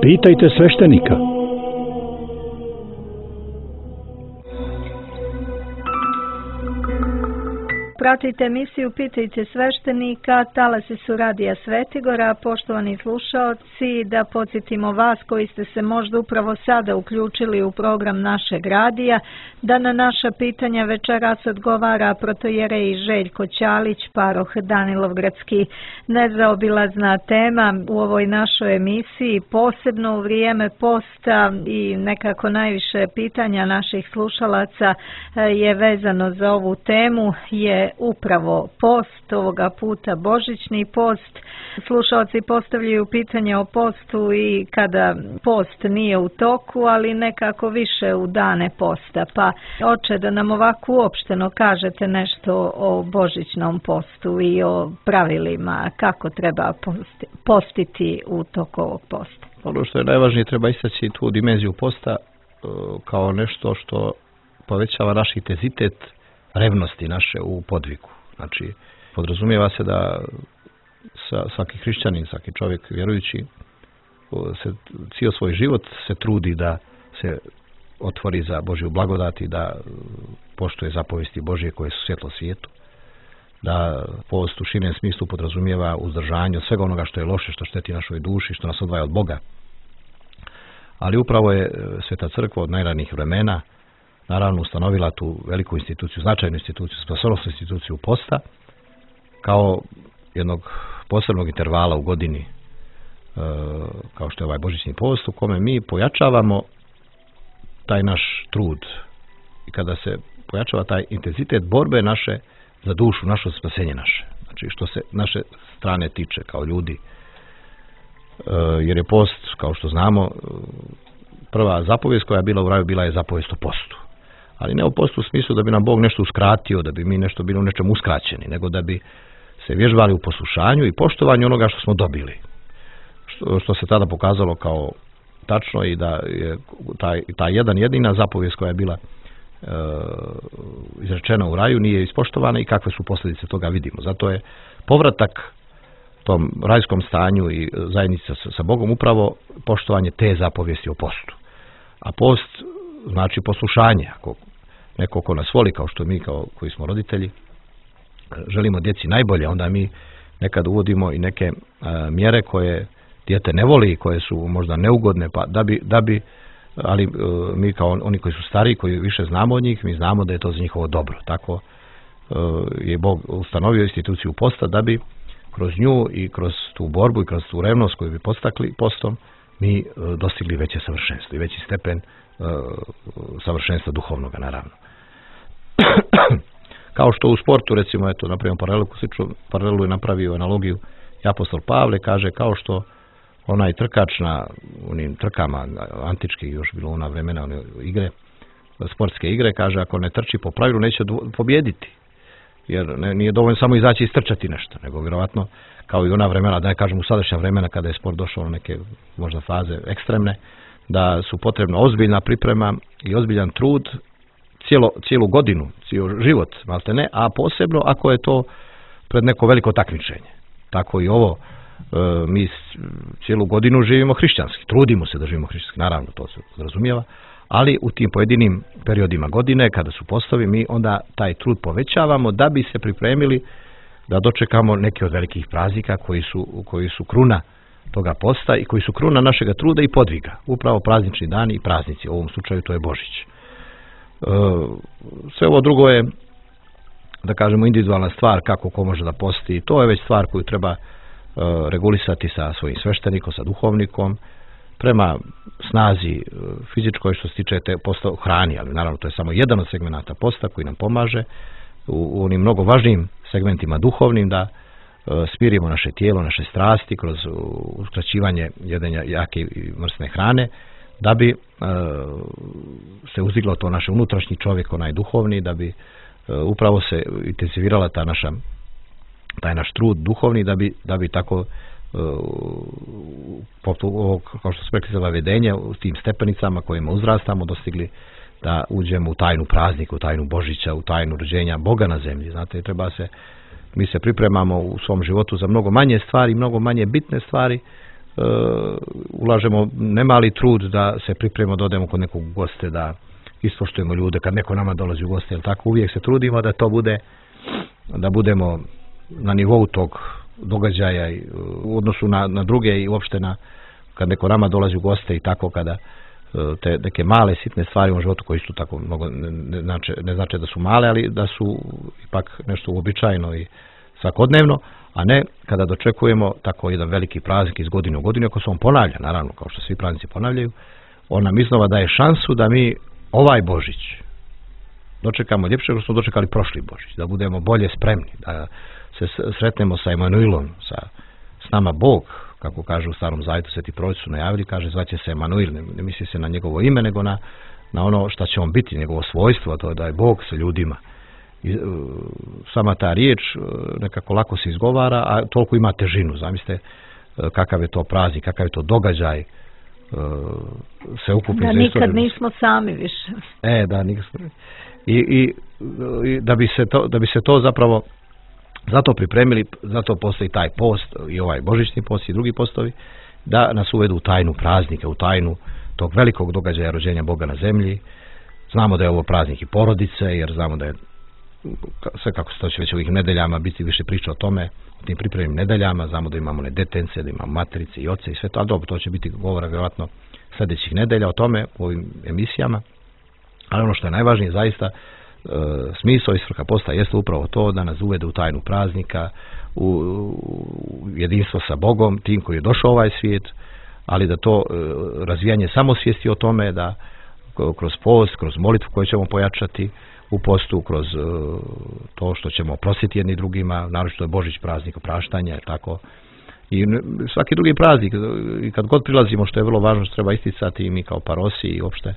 Speaker 7: Pitajte sveštenika.
Speaker 3: Pratite emisiju Pitajte sveštenika, talasi su Radija Svetigora. Poštovani slušaoci, da podsjetimo vas koji ste se možda upravo sada uključili u program našeg radija, da na naša pitanja večeras odgovara protojerej Željko Ćalić, paroh Danilovgradski. Nezaobilazna tema u ovoj našoj emisiji, posebno u vrijeme posta i nekako najviše pitanja naših slušalaca je vezano za ovu temu, je upravo post, ovoga puta božićni post. Slušalci postavljaju pitanje o postu i kada post nije u toku, ali nekako više u dane posta. Pa, oče, da nam ovako uopšteno kažete nešto o božićnom postu i o pravilima, kako treba postiti u toku ovog posta.
Speaker 6: Ono što je najvažnije, treba istaći tu dimenziju posta kao nešto što povećava naš intenzitet revnosti naše u podvigu. Znači, podrazumijeva se da svaki hrišćanin, svaki čovjek vjerujući se cijel svoj život se trudi da se otvori za Božju blagodat i da poštuje zapovesti Božje koje su svjetlo svijetu. Da post u širem smislu podrazumijeva uzdržanje od svega onoga što je loše, što šteti našoj duši, što nas odvaja od Boga. Ali upravo je Sveta crkva od najranijih vremena naravno ustanovila tu veliku instituciju, značajnu instituciju, spasonosnu instituciju posta kao jednog posebnog intervala u godini, kao što je ovaj božićni post, u kome mi pojačavamo taj naš trud i kada se pojačava taj intenzitet borbe naše za dušu, naše spasenje naše. Znači što se naše strane tiče kao ljudi, jer je post, kao što znamo, prva zapovijest koja je bila u raju bila je zapovijest o postu. Ali ne o postu u smislu da bi nam Bog nešto uskratio, da bi mi nešto bili u nečem uskraćeni, nego da bi se vježbali u poslušanju i poštovanju onoga što smo dobili. Što, što se tada pokazalo kao tačno i da je taj, taj jedan jedina zapovijest koja je bila e, izrečena u raju nije ispoštovana i kakve su posljedice toga vidimo. Zato je povratak tom rajskom stanju i zajednici sa, sa Bogom upravo poštovanje te zapovijesti o postu. A post znači poslušanje. Ako neko ko nas voli, kao što mi kao koji smo roditelji želimo djeci najbolje, onda mi nekad uvodimo i neke a, mjere koje dijete ne voli, koje su možda neugodne, pa da bi, da bi ali a, mi kao oni koji su stariji, koji više znamo od njih, mi znamo da je to za njihovo dobro. Tako a, je Bog ustanovio instituciju posta da bi kroz nju i kroz tu borbu i kroz tu revnost koju bi postakli postom mi a, dostigli veće savršenstvo i veći stepen savršenstva duhovnoga, naravno. Kao što u sportu, recimo, eto, napravimo paralelu, paralelu je napravio analogiju i apostol Pavle, kaže kao što onaj trkač na onim trkama antičkih, još bilo ona vremena, one igre, sportske igre, kaže ako ne trči po pravilu neće pobjediti. Jer ne, nije dovoljno samo izaći i istrčati nešto, nego vjerovatno kao i ona vremena, da ne kažem u sadašnja vremena kada je sport došao na neke možda faze ekstremne, da su potrebna ozbiljna priprema i ozbiljan trud cijelo, cijelu godinu, cijel život, malte ne, a posebno ako je to pred neko veliko takmičenje. Tako i ovo, e, mi cijelu godinu živimo hrišćanski, trudimo se da živimo hrišćanski, naravno to se podrazumijeva, ali u tim pojedinim periodima godine, kada su postovi, mi onda taj trud povećavamo da bi se pripremili da dočekamo neke od velikih praznika koji su, koji su kruna toga posta i koji su kruna našega truda i podviga. Upravo praznični dani i praznici, u ovom slučaju to je Božić. E, sve ovo drugo je, da kažemo, individualna stvar kako ko može da posti. To je već stvar koju treba e, regulisati sa svojim sveštenikom, sa duhovnikom, prema snazi fizičkoj što se tiče te posta hrani, ali naravno to je samo jedan od segmenata posta koji nam pomaže u, u onim mnogo važnijim segmentima duhovnim da smirimo naše tijelo, naše strasti kroz uskraćivanje jedenja jake i mrsne hrane, da bi e, se uzdiglo to naše unutrašnji čovjek, onaj duhovni, da bi e, upravo se intenzivirala ta naša, taj naš trud duhovni, da bi, da bi tako e, ovo, kao što smo rekli za vedenje, u tim stepenicama kojima uzrastamo, dostigli da uđemo u tajnu praznika, u tajnu Božića, u tajnu rođenja Boga na zemlji. Znate, treba se, mi se pripremamo u svom životu za mnogo manje stvari, mnogo manje bitne stvari, ulažemo nemali trud da se pripremimo, da odemo kod nekog goste, da ispoštujemo ljude kad neko nama dolazi u goste, jel tako, uvijek se trudimo da to bude, da budemo na nivou tog događaja u odnosu na, na druge i uopšte na kad neko nama dolazi u goste i tako, kada te neke male sitne stvari u životu koji su tako mnogo ne, ne, znači, ne znači da su male, ali da su ipak nešto uobičajeno i svakodnevno, a ne kada dočekujemo tako jedan veliki praznik iz godine u godinu, ako se on ponavlja, naravno, kao što svi praznici ponavljaju, on nam iznova daje šansu da mi ovaj Božić dočekamo ljepše nego smo dočekali prošli Božić, da budemo bolje spremni, da se sretnemo sa Emanuilom, sa s nama Bog, kako kaže u Starom Zavjetu, Sveti proroci su najavili, kaže zvaće se Emanuil, ne, ne misli se na njegovo ime, nego na, na ono šta će on biti, njegovo svojstvo, to je da je Bog sa ljudima. I, uh, sama ta riječ uh, nekako lako se izgovara, a toliko ima težinu. Zamislite uh, kakav je to praznik, kakav je to događaj, uh, se ukupi
Speaker 3: da
Speaker 6: za
Speaker 3: nikad nismo sami više.
Speaker 6: E, da, nikad. I, i, i da bi se to, da bi se to zapravo zato pripremili, zato postoji taj post i ovaj božićni post i drugi postovi, da nas uvedu u tajnu praznika, u tajnu tog velikog događaja rođenja Boga na zemlji. Znamo da je ovo praznik i porodice, jer znamo da je sve kako se to će već ovih nedeljama biti više priča o tome, o tim pripremnim nedeljama, znamo da imamo ne detence, da imamo materice i oce i sve to, ali dobro, to će biti govora vjerojatno sljedećih nedelja o tome u ovim emisijama, ali ono što je najvažnije zaista, e, smisao i svrha posta jeste upravo to da nas uvede u tajnu praznika, u, u jedinstvo sa Bogom, tim koji je došao u ovaj svijet, ali da to e, razvijanje samosvijesti o tome, da kroz post, kroz molitvu koju ćemo pojačati u postu, kroz uh, to što ćemo oprostiti jedni drugima, naročito je Božić praznik opraštanja, tako. I svaki drugi praznik, i kad god prilazimo, što je vrlo važno, što treba isticati i mi kao parosi i uopšte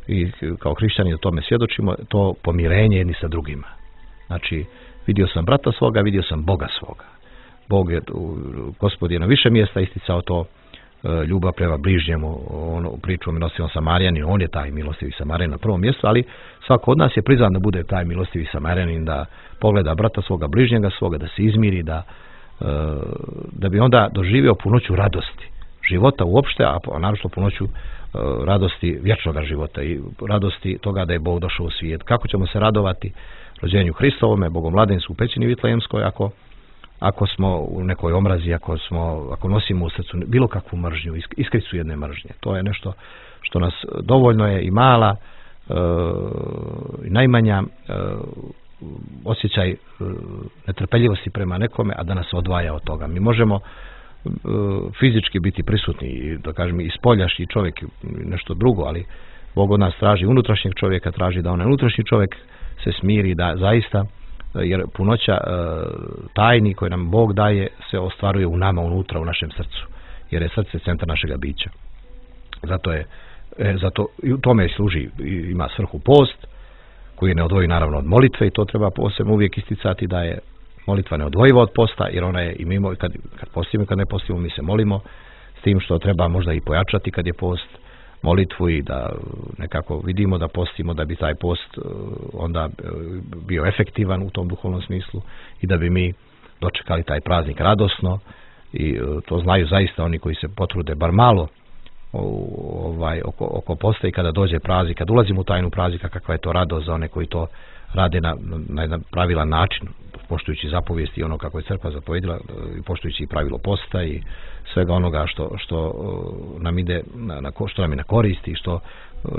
Speaker 6: i kao hrišćani o tome svjedočimo, to pomirenje jedni sa drugima. Znači, vidio sam brata svoga, vidio sam Boga svoga. Bog je, Gospod je na više mjesta isticao to, ljubav prema bližnjemu, ono, priču o milostivnom Samarijanin, on je taj milostivi Samarijanin na prvom mjestu, ali svako od nas je prizvan da bude taj milostivi Samarijanin, da pogleda brata svoga, bližnjega svoga, da se izmiri, da, da bi onda doživio punoću radosti života uopšte, a naročito punoću radosti vječnog života i radosti toga da je Bog došao u svijet. Kako ćemo se radovati rođenju Hristovome, Bogomladenstvu u pećini Vitlejemskoj, ako ako smo u nekoj omrazi, ako smo, ako nosimo u srcu bilo kakvu mržnju, iskricu jedne mržnje. To je nešto što nas dovoljno je i mala e, i najmanja e, osjećaj e, netrpeljivosti prema nekome, a da nas odvaja od toga. Mi možemo e, fizički biti prisutni i da kažem i spoljašnji čovjek nešto drugo, ali Bog od nas traži unutrašnjeg čovjeka, traži da onaj unutrašnji čovjek se smiri, da zaista, jer punoća e, tajni koje nam Bog daje se ostvaruje u nama, unutra, u našem srcu, jer je srce centar našega bića. Zato je, e, zato i u tome služi, ima svrhu post, koji ne odvoji naravno od molitve, i to treba posebno uvijek isticati, da je molitva neodvojiva od posta, jer ona je i mimo, kad, kad postimo i kad ne postimo, mi se molimo, s tim što treba možda i pojačati kad je post, molitvu, i da nekako vidimo da postimo, da bi taj post onda bio efektivan u tom duhovnom smislu i da bi mi dočekali taj praznik radosno, i to znaju zaista oni koji se potrude bar malo ovaj, oko, oko posta, i kada dođe praznik, kad ulazimo u tajnu praznika, kakva je to radost za one koji to rade na, na jedan pravilan način, poštujući zapovijesti i ono kako je crkva zapovjedila, i poštujući i pravilo posta i svega onoga što, što nam ide na, na, što nam je na koristi i što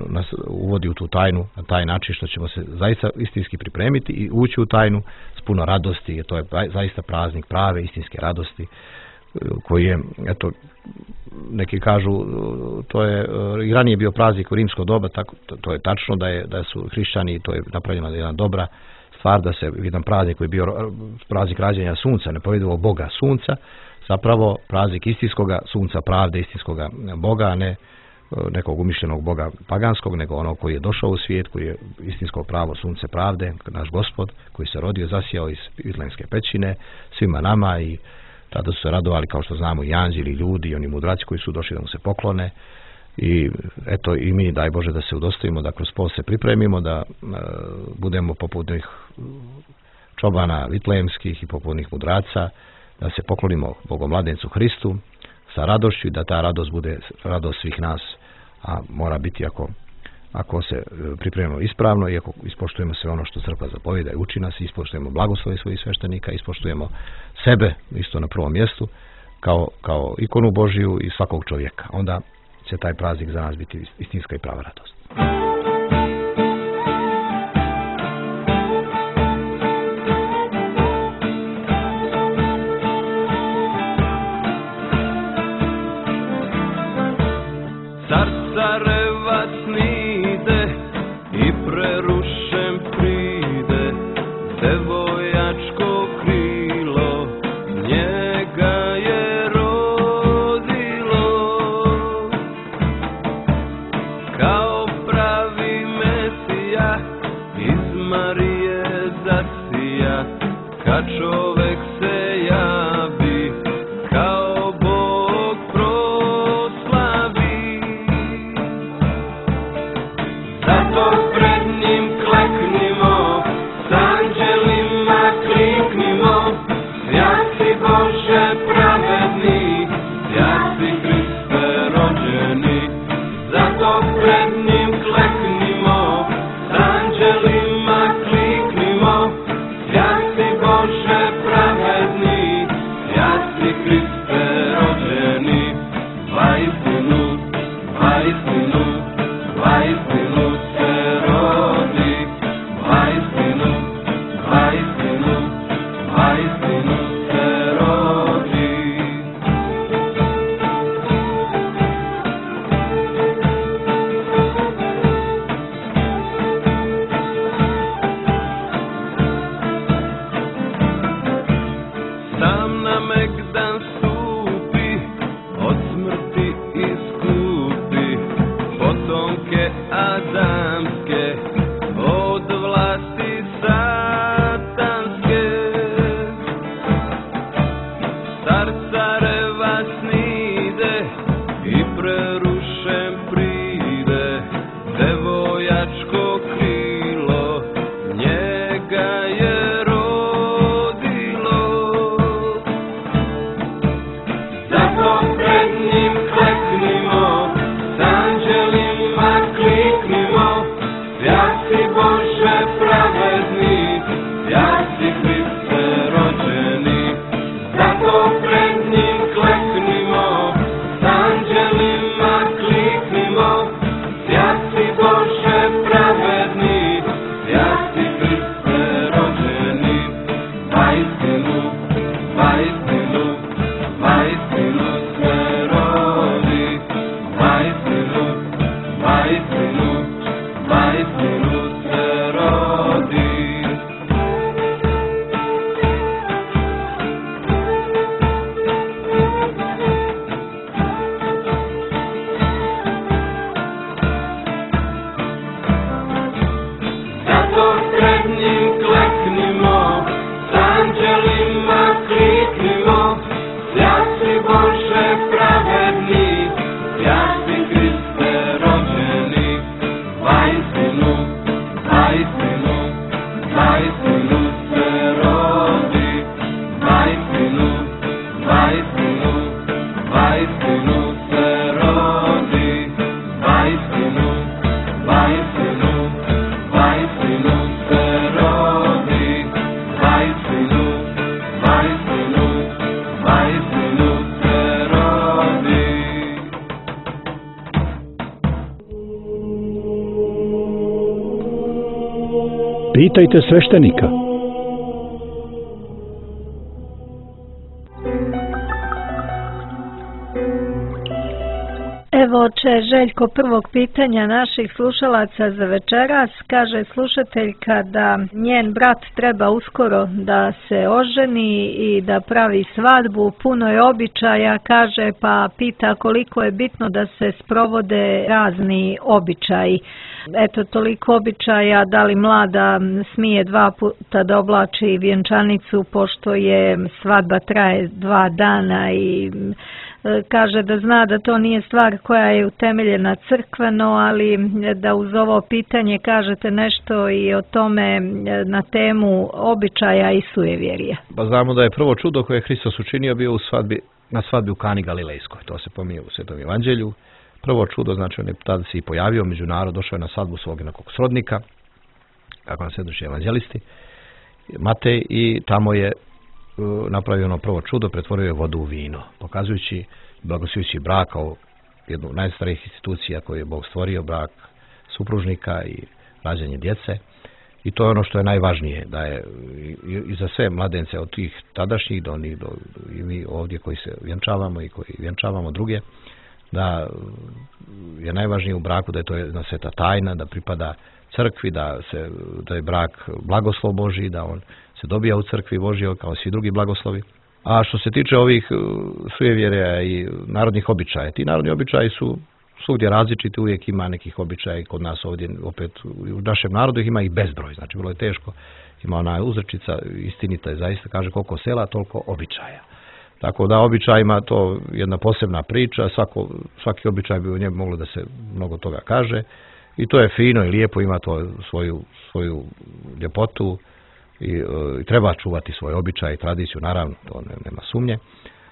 Speaker 6: nas uvodi u tu tajnu na taj način što ćemo se zaista istinski pripremiti i ući u tajnu s puno radosti, jer to je zaista praznik prave istinske radosti, koji je, eto, neki kažu, to je i ranije bio praznik u rimsko doba, tako, to, to je tačno da je da su hrišćani, to je napravljena jedna dobra stvar, da se jedan praznik koji je bio praznik rađanja sunca, nepovjedljivog Boga sunca, zapravo praznik istinskoga sunca pravde, istinskoga Boga, a ne nekog umišljenog Boga paganskog, nego onog koji je došao u svijet, koji je istinsko pravo sunce pravde, naš Gospod, koji se rodio, zasijao iz Vitlejemske pećine svima nama, i tada su se radovali, kao što znamo, i anđeli, i ljudi, i oni mudraci koji su došli da mu se poklone. I eto, i mi, daj Bože, da se udostojimo, da kroz post se pripremimo, da e, budemo poput njih čobana vitlejemskih i poput njih mudraca, da se poklonimo Bogomladencu Hristu sa radošću i da ta radost bude radost svih nas, a mora biti ako, ako se pripremimo ispravno i ako ispoštujemo sve ono što crkva zapovijeda i uči nas, ispoštujemo blagoslove svojih sveštenika, ispoštujemo sebe isto na prvom mjestu kao, kao ikonu Božiju i svakog čovjeka. Onda će taj praznik za nas biti istinska i prava radost.
Speaker 7: Pitajte sveštenika.
Speaker 3: Evo oče Željko prvog pitanja naših slušalaca za večeras. Kaže slušateljka da njen brat treba uskoro da se oženi i da pravi svadbu, puno je običaja, kaže, pa pita koliko je bitno da se sprovode razni običaji. Eto, toliko običaja, da li mlada smije dva puta da oblači vjenčanicu, pošto je svadba traje dva dana i kaže da zna da to nije stvar koja je utemeljena crkveno, ali da uz ovo pitanje kažete nešto i o tome na temu običaja i sujevjerija.
Speaker 6: Pa znamo da je prvo čudo koje je Hristos učinio bio u svadbi, na svadbi u Kani Galilejskoj. To se pominje u Svetom evanđelju. Prvo čudo, znači on je tada se i pojavio među narod, došao je na svadbu svog nekog srodnika, kako nam svjedoče evanđelisti, Matej, i tamo je uh, napravio ono prvo čudo, pretvorio je vodu u vino, pokazujući, blagoslujući brak kao jednu od najstarijih institucija koju je Bog stvorio, brak supružnika i rađanje djece. I to je ono što je najvažnije, da je i, i za sve mladence od tih tadašnjih do onih, do, i mi ovdje koji se vjenčavamo i koji vjenčavamo druge, da je najvažnije u braku da je to jedna sveta tajna, da pripada crkvi, da, se, da je brak blagoslov Božji, da on se dobija u crkvi Božjoj kao svi drugi blagoslovi. A što se tiče ovih sujevjerja i narodnih običaja, ti narodni običaji su svugdje različiti, uvijek ima nekih običaja kod nas ovdje, opet u našem narodu ih ima i bezbroj, znači vrlo je teško, ima ona uzrečica, istinita je zaista, kaže koliko sela, toliko običaja. Tako da običajima to jedna posebna priča, svako, svaki običaj bi u njemu moglo da se mnogo toga kaže i to je fino i lijepo, ima to svoju, svoju ljepotu i, i treba čuvati svoj običaj i tradiciju, naravno, to ne, nema sumnje,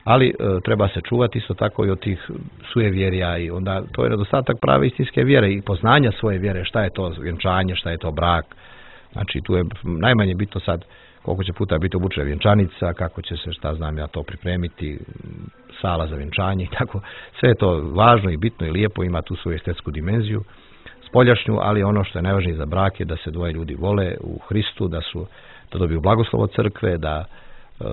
Speaker 6: ali e, treba se čuvati isto tako i od tih sujevjerja i onda to je nedostatak prave istinske vjere i poznanja svoje vjere, šta je to vjenčanje, šta je to brak, znači tu je najmanje bitno sad koliko će puta biti obučena vjenčanica, kako će se, šta znam ja, to pripremiti, sala za vjenčanje i tako. Sve je to važno i bitno i lijepo, ima tu svoju estetsku dimenziju, spoljašnju, ali ono što je najvažnije za brak je da se dvoje ljudi vole u Hristu, da su, da dobiju blagoslov od crkve, da uh,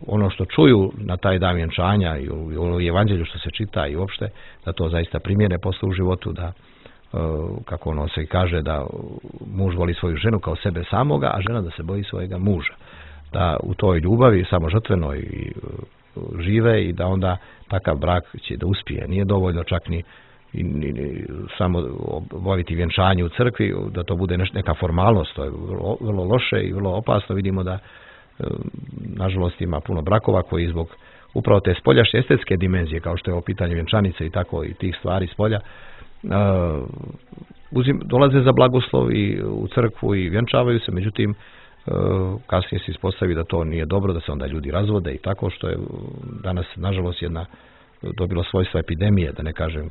Speaker 6: ono što čuju na taj dan vjenčanja i u, i u evanđelju što se čita i uopšte, da to zaista primjene posle u životu, da kako ono se kaže da muž voli svoju ženu kao sebe samoga, a žena da se boji svojega muža. Da u toj ljubavi samožrtvenoj i žive i da onda takav brak će da uspije. Nije dovoljno čak ni, ni, ni samo obaviti vjenčanje u crkvi, da to bude neka formalnost. To je vrlo, vrlo loše i vrlo opasno. Vidimo da nažalost ima puno brakova koji zbog upravo te spoljašnje estetske dimenzije, kao što je ovo pitanje vjenčanice i tako i tih stvari spolja, Uh, uzim, dolaze za blagoslov i u crkvu i vjenčavaju se, međutim uh, kasnije se ispostavi da to nije dobro, da se onda ljudi razvode i tako, što je danas nažalost jedna dobilo svojstva epidemije, da ne kažem,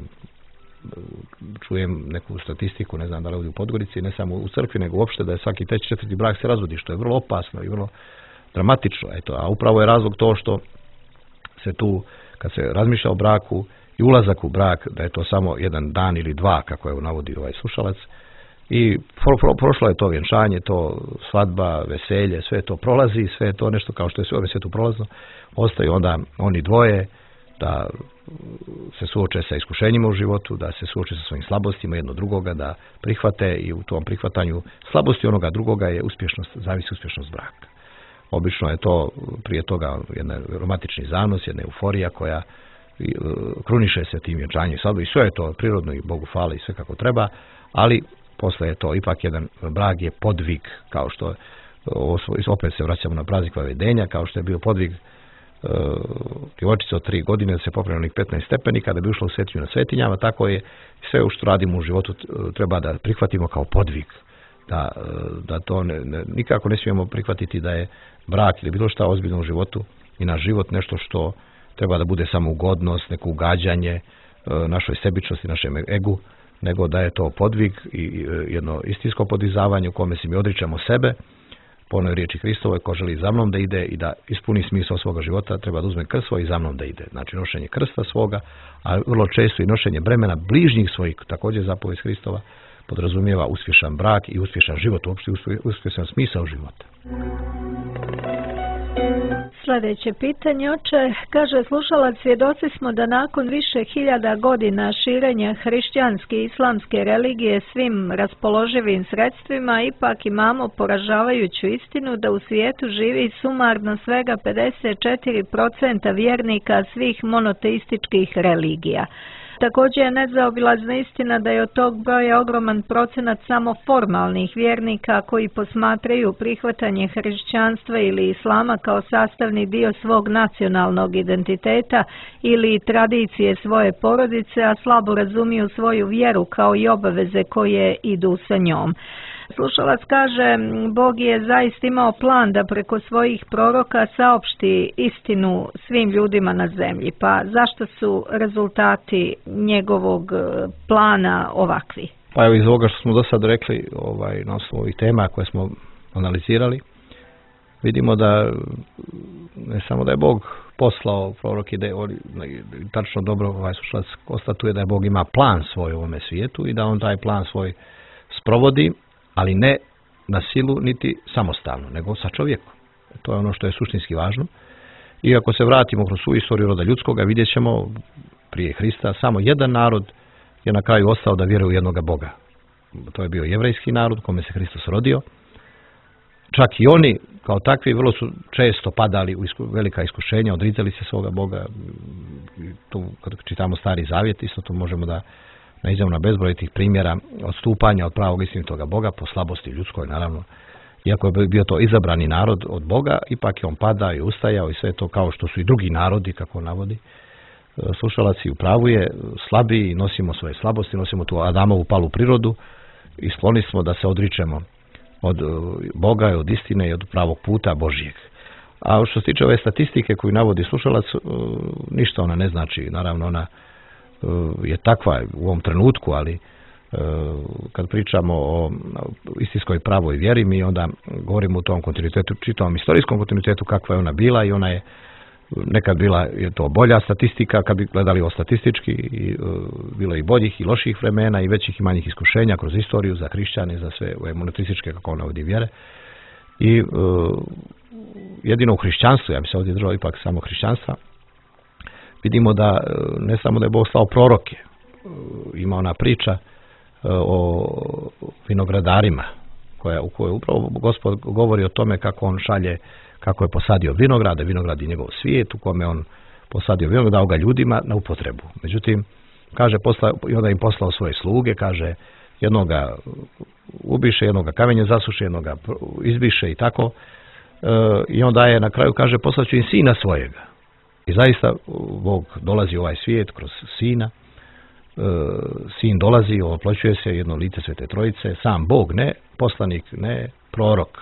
Speaker 6: čujem neku statistiku, ne znam da li ovdje u Podgorici, ne samo u crkvi, nego uopšte da je svaki treći, četvrti brak se razvodi, što je vrlo opasno i vrlo dramatično. Eto, a upravo je razlog to što se tu, kad se razmišlja o braku i ulazak u brak, da je to samo jedan dan ili dva, kako je navodi ovaj slušalac, i pro, pro, prošlo je to vjenčanje, to svadba, veselje, sve to prolazi, sve je to nešto kao što je sve ove svijetu prolazno, ostaju onda oni dvoje da se suoče sa iskušenjima u životu, da se suoče sa svojim slabostima jedno drugoga, da prihvate i u tom prihvatanju slabosti onoga drugoga je uspješnost, zavisi uspješnost braka. Obično je to prije toga jedan romantični zanos, jedna euforija koja kruniše se tim vjenčanjem i sve je to prirodno i Bogu hvala i sve kako treba, ali posle je to ipak jedan brak je podvig, kao što opet se vraćamo na praznik Vavedenja, kao što je bio podvig uh, djevojčice od tri godine da se popne onih petnaest stepenika da bi ušla u svetinju na svetinjama, tako je sve što radimo u životu treba da prihvatimo kao podvig, da, da to ne, ne, nikako ne smijemo prihvatiti da je brak ili bilo šta ozbiljno u životu i naš život nešto što treba da bude samo ugodnost, neko ugađanje našoj sebičnosti, našem egu, nego da je to podvig i jedno istinsko podizavanje u kome se mi odričemo sebe, po onoj riječi Hristovoj, ko želi za mnom da ide i da ispuni smisao svoga života, treba da uzme krst svoj i za mnom da ide. Znači nošenje krsta svoga, a vrlo često i nošenje bremena bližnjih svojih, također zapovijest Hristova, podrazumijeva uspješan brak i uspješan život, uopšte uspješan smisao života.
Speaker 3: Sljedeće pitanje, oče, kaže slušalac, svjedoci smo da nakon više hiljada godina širenja hrišćanske i islamske religije svim raspoloživim sredstvima, ipak imamo poražavajuću istinu da u svijetu živi sumarno svega pedeset četiri posto vjernika svih monoteističkih religija. Također je nezaobilazna istina da je od tog broja ogroman procenat samo formalnih vjernika koji posmatraju prihvatanje hrišćanstva ili islama kao sastavni dio svog nacionalnog identiteta ili tradicije svoje porodice, a slabo razumiju svoju vjeru kao i obaveze koje idu sa njom. Slušalac kaže, Bog je zaista imao plan da preko svojih proroka saopšti istinu svim ljudima na zemlji, pa zašto su rezultati njegovog plana ovakvi?
Speaker 6: Pa evo iz ovoga što smo do sad rekli, ovaj, na osnovu ovih tema koje smo analizirali, vidimo da ne samo da je Bog poslao proroke, da je tačno dobro ovaj slušalac konstatuje da je Bog ima plan svoj u ovome svijetu i da on taj plan svoj sprovodi, ali ne na silu niti samostalno, nego sa čovjekom. To je ono što je suštinski važno. I ako se vratimo kroz svu istoriju roda ljudskoga, vidjet ćemo prije Hrista samo jedan narod je na kraju ostao da vjeruje u jednoga Boga. To je bio jevrejski narod kome se Hristos rodio. Čak i oni kao takvi vrlo su često padali u isku, velika iskušenja, odricali se svoga Boga. Tu, kad čitamo Stari Zavjet, isto to možemo da naiđemo na bezbroj tih primjera odstupanja od pravog istinitoga Boga po slabosti ljudskoj, naravno. Iako je bio to izabrani narod od Boga, ipak je on padao i ustajao i sve to kao što su i drugi narodi, kako navodi. Slušalac i u pravu je slabiji, nosimo svoje slabosti, nosimo tu Adamovu palu prirodu i skloni smo da se odričemo od Boga i od istine i od pravog puta Božijeg. A što se tiče ove statistike koju navodi slušalac, ništa ona ne znači. Naravno, ona je takva u ovom trenutku, ali kad pričamo o istinskoj pravoj vjeri, mi onda govorimo u tom kontinuitetu, čitavom istorijskom kontinuitetu kakva je ona bila i ona je nekad bila je to bolja statistika, kad bi gledali o statistički, i, bilo i boljih i loših vremena i većih i manjih iskušenja kroz istoriju za hrišćane, za sve ove monoteističke, kako ona ovdje vjere. I uh, jedino u hrišćanstvu, ja bi se ovdje držao ipak samo hrišćanstva, vidimo da ne samo da je Bog slao proroke, ima ona priča o vinogradarima, koja, u kojoj upravo Gospod govori o tome kako on šalje, kako je posadio vinograde, vinograd je njegov svijet u kome on posadio vinograd, dao ga ljudima na upotrebu. Međutim, kaže, posla, i onda im poslao svoje sluge, kaže, jednoga ubiše, jednoga kamenje zasuše, jednoga izbiše i tako. E, I onda je na kraju, kaže, poslaću im sina svojega. I zaista Bog dolazi u ovaj svijet kroz sina. E, sin dolazi, oploćuje se jedno lice Svete Trojice, sam Bog, ne poslanik, ne prorok.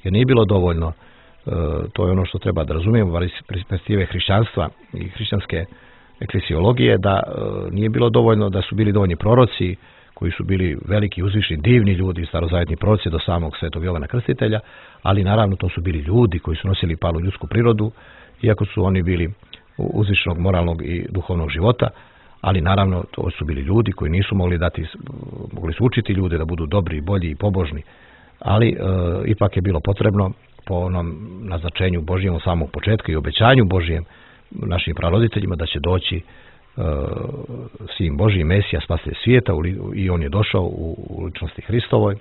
Speaker 6: Jer nije bilo dovoljno, e, to je ono što treba da razumijemo iz perspektive hrišćanstva i hrišćanske eklesiologije, da e, nije bilo dovoljno da su bili dovoljni proroci koji su bili veliki, uzvišni, divni ljudi, starozavetni proroci do samog Svetog Jovana Krstitelja, ali naravno to su bili ljudi koji su nosili palu ljudsku prirodu, iako su oni bili uzvišnog moralnog i duhovnog života, ali naravno to su bili ljudi koji nisu mogli dati, mogli su učiti ljude da budu dobri, bolji i pobožni, ali e, ipak je bilo potrebno po onom naznačenju Božijem od samog početka i obećanju Božijem našim praroditeljima da će doći e, sin Božji, Mesija, spasitelj svijeta, i on je došao u, u ličnosti Hristovoj.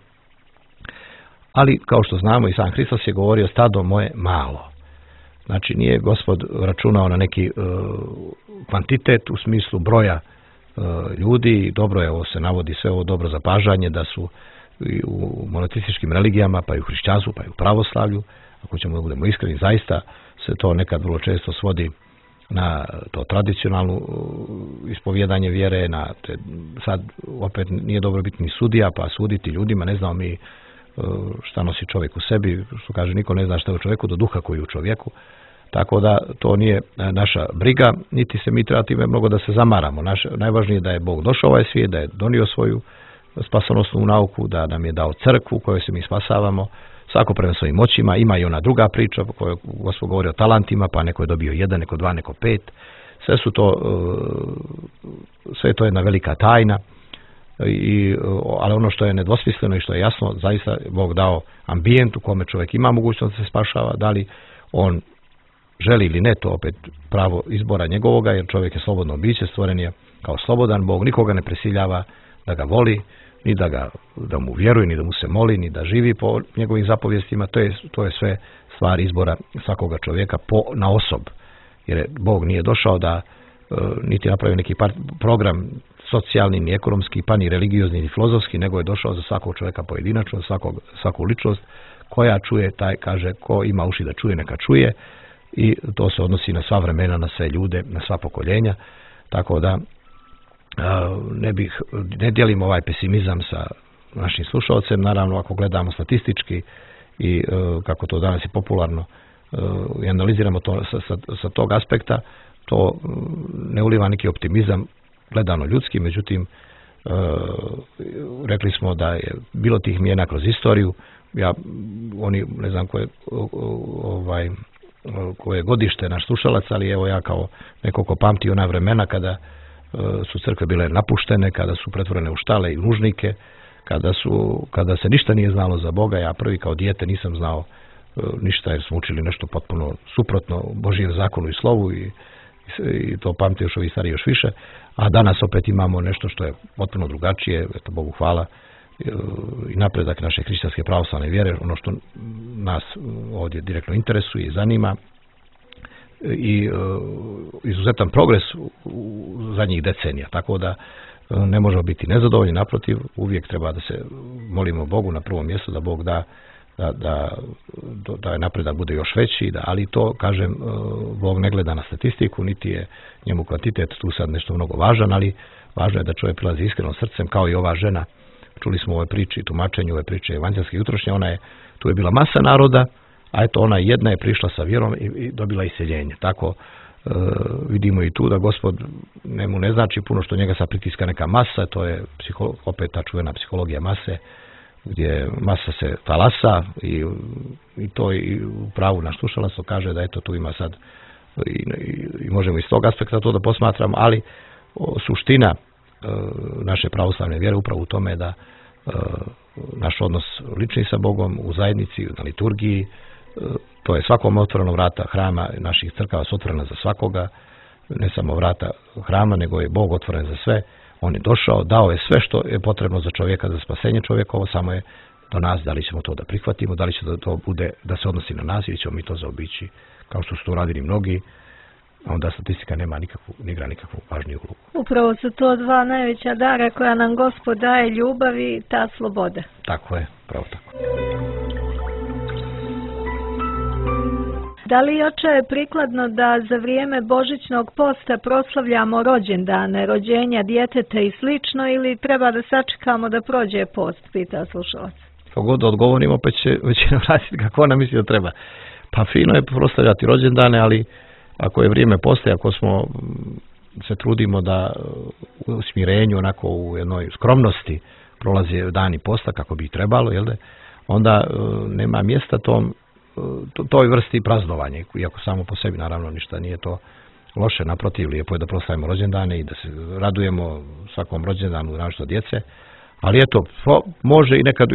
Speaker 6: Ali kao što znamo i sam Hristos je govorio stado moje malo. Znači nije Gospod računao na neki uh, kvantitet u smislu broja uh, ljudi. Dobro je, ovo se navodi sve ovo dobro zapažanje da su i u monoteističkim religijama, pa i u hrišćanstvu, pa i u pravoslavlju, ako ćemo da budemo iskreni, zaista se to nekad vrlo često svodi na to tradicionalno uh, ispovjedanje vjere, na te, sad opet nije dobro biti ni sudija, pa suditi ljudima, ne znamo mi šta nosi čovjek u sebi, što kaže, niko ne zna šta je u čovjeku do duha koji je u čovjeku, tako da to nije naša briga, niti se mi treba time mnogo da se zamaramo. Naš, najvažnije je da je Bog došao ovaj svijet, da je donio svoju spasonosnu nauku, da nam je dao crkvu u kojoj se mi spasavamo, svako prema svojim moćima. Ima i ona druga priča u kojoj Gospod govori o talentima, pa neko je dobio jedan, neko dva, neko pet. Sve su to, sve to je jedna velika tajna. I, ali ono što je nedvosmisleno i što je jasno, zaista Bog dao ambijent u kome čovjek ima mogućnost da se spašava, da li on želi ili ne, to opet pravo izbora njegovoga, jer čovjek je slobodno biće, stvoren je kao slobodan. Bog nikoga ne prisiljava da ga voli, ni da, ga, da mu vjeruje, ni da mu se moli, ni da živi po njegovim zapovjestima. To je, to je sve stvar izbora svakoga čovjeka po, na osob, jer Bog nije došao da niti napravio neki program socijalni, ni ekonomski, pa ni religiozni, ni filozofski, nego je došao za svakog čovjeka pojedinačno, svakog, svaku ličnost koja čuje, taj kaže, ko ima uši da čuje, neka čuje, i to se odnosi na sva vremena, na sve ljude, na sva pokoljenja, tako da ne bih, ne dijelim ovaj pesimizam sa našim slušalcem. Naravno, ako gledamo statistički i kako to danas je popularno i analiziramo to sa, sa, sa tog aspekta, to ne uliva neki optimizam gledano ljudski, međutim rekli smo da je bilo tih mijena kroz istoriju. Ja, oni, ne znam koje, ovaj, koje godište naš slušalac, ali evo ja kao neko ko pamti ona vremena kada su crkve bile napuštene, kada su pretvorene u štale i nužnike, kada, su, kada se ništa nije znalo za Boga. Ja prvi kao dijete nisam znao ništa jer smo učili nešto potpuno suprotno Božijem zakonu i slovu i, i to pamte još ovi stari još više, a danas opet imamo nešto što je potpuno drugačije, eto Bogu hvala, i napredak naše hrišćanske pravoslavne vjere, ono što nas ovdje direktno interesuje i zanima, i izuzetan progres u zadnjih decenija, tako da ne možemo biti nezadovoljni, naprotiv, uvijek treba da se molimo Bogu na prvom mjestu, da Bog da da, da, da napredak bude još veći, da, ali to, kažem, Bog ne gleda na statistiku, niti je njemu kvantitet tu sad nešto mnogo važan, ali važno je da čovjek prilazi iskrenom srcem, kao i ova žena. Čuli smo u ovoj priči, tumačenju ove priče evanđelske jutrošnje, ona je, tu je bila masa naroda, a eto ona jedna je prišla sa vjerom i, i dobila iseljenje. Tako e, vidimo i tu da Gospod njemu ne znači puno što njega sad pritiska neka masa, to je psiho, opet ta čuvena psihologija mase, gdje masa se talasa i, i to i u pravu naš slušalac kaže da eto tu ima sad i, i, i možemo iz tog aspekta to da posmatramo, ali o, suština e, naše pravoslavne vjere upravo u tome da e, naš odnos lični sa Bogom u zajednici, na liturgiji, e, to je svakom otvoreno vrata hrama, naših crkava su otvorena za svakoga, ne samo vrata hrama, nego je Bog otvoren za sve. On je došao, dao je sve što je potrebno za čovjeka, za spasenje čovjeka, ovo samo je do nas, da li ćemo to da prihvatimo, da li će da to bude, da se odnosi na nas ili ćemo mi to zaobići, kao što su to radili mnogi, a onda statistika nema nikakvu, ne igra nikakvu važniju ulogu.
Speaker 3: Upravo su to dva najveća dara koja nam Gospod daje, ljubav i ta sloboda.
Speaker 6: Tako je, pravo tako.
Speaker 3: Da li, oče, je prikladno da za vrijeme Božićnog posta proslavljamo rođendane, rođenja djeteta i slično, ili treba da sačekamo da prođe post, pita slušalac.
Speaker 6: Kako god odgovorimo, pa će većina vratiti kako ona misli da treba. Pa fino je proslavljati rođendane, ali ako je vrijeme posta, ako smo se trudimo da u smirenju, onako u jednoj skromnosti prolaze dani posta kako bi trebalo, jel de, onda nema mjesta tom toj vrsti praznovanja, iako samo po sebi naravno ništa nije to loše, naprotiv, lijepo je da proslavimo rođendane i da se radujemo svakom rođendanu našto djece, ali eto, može i nekad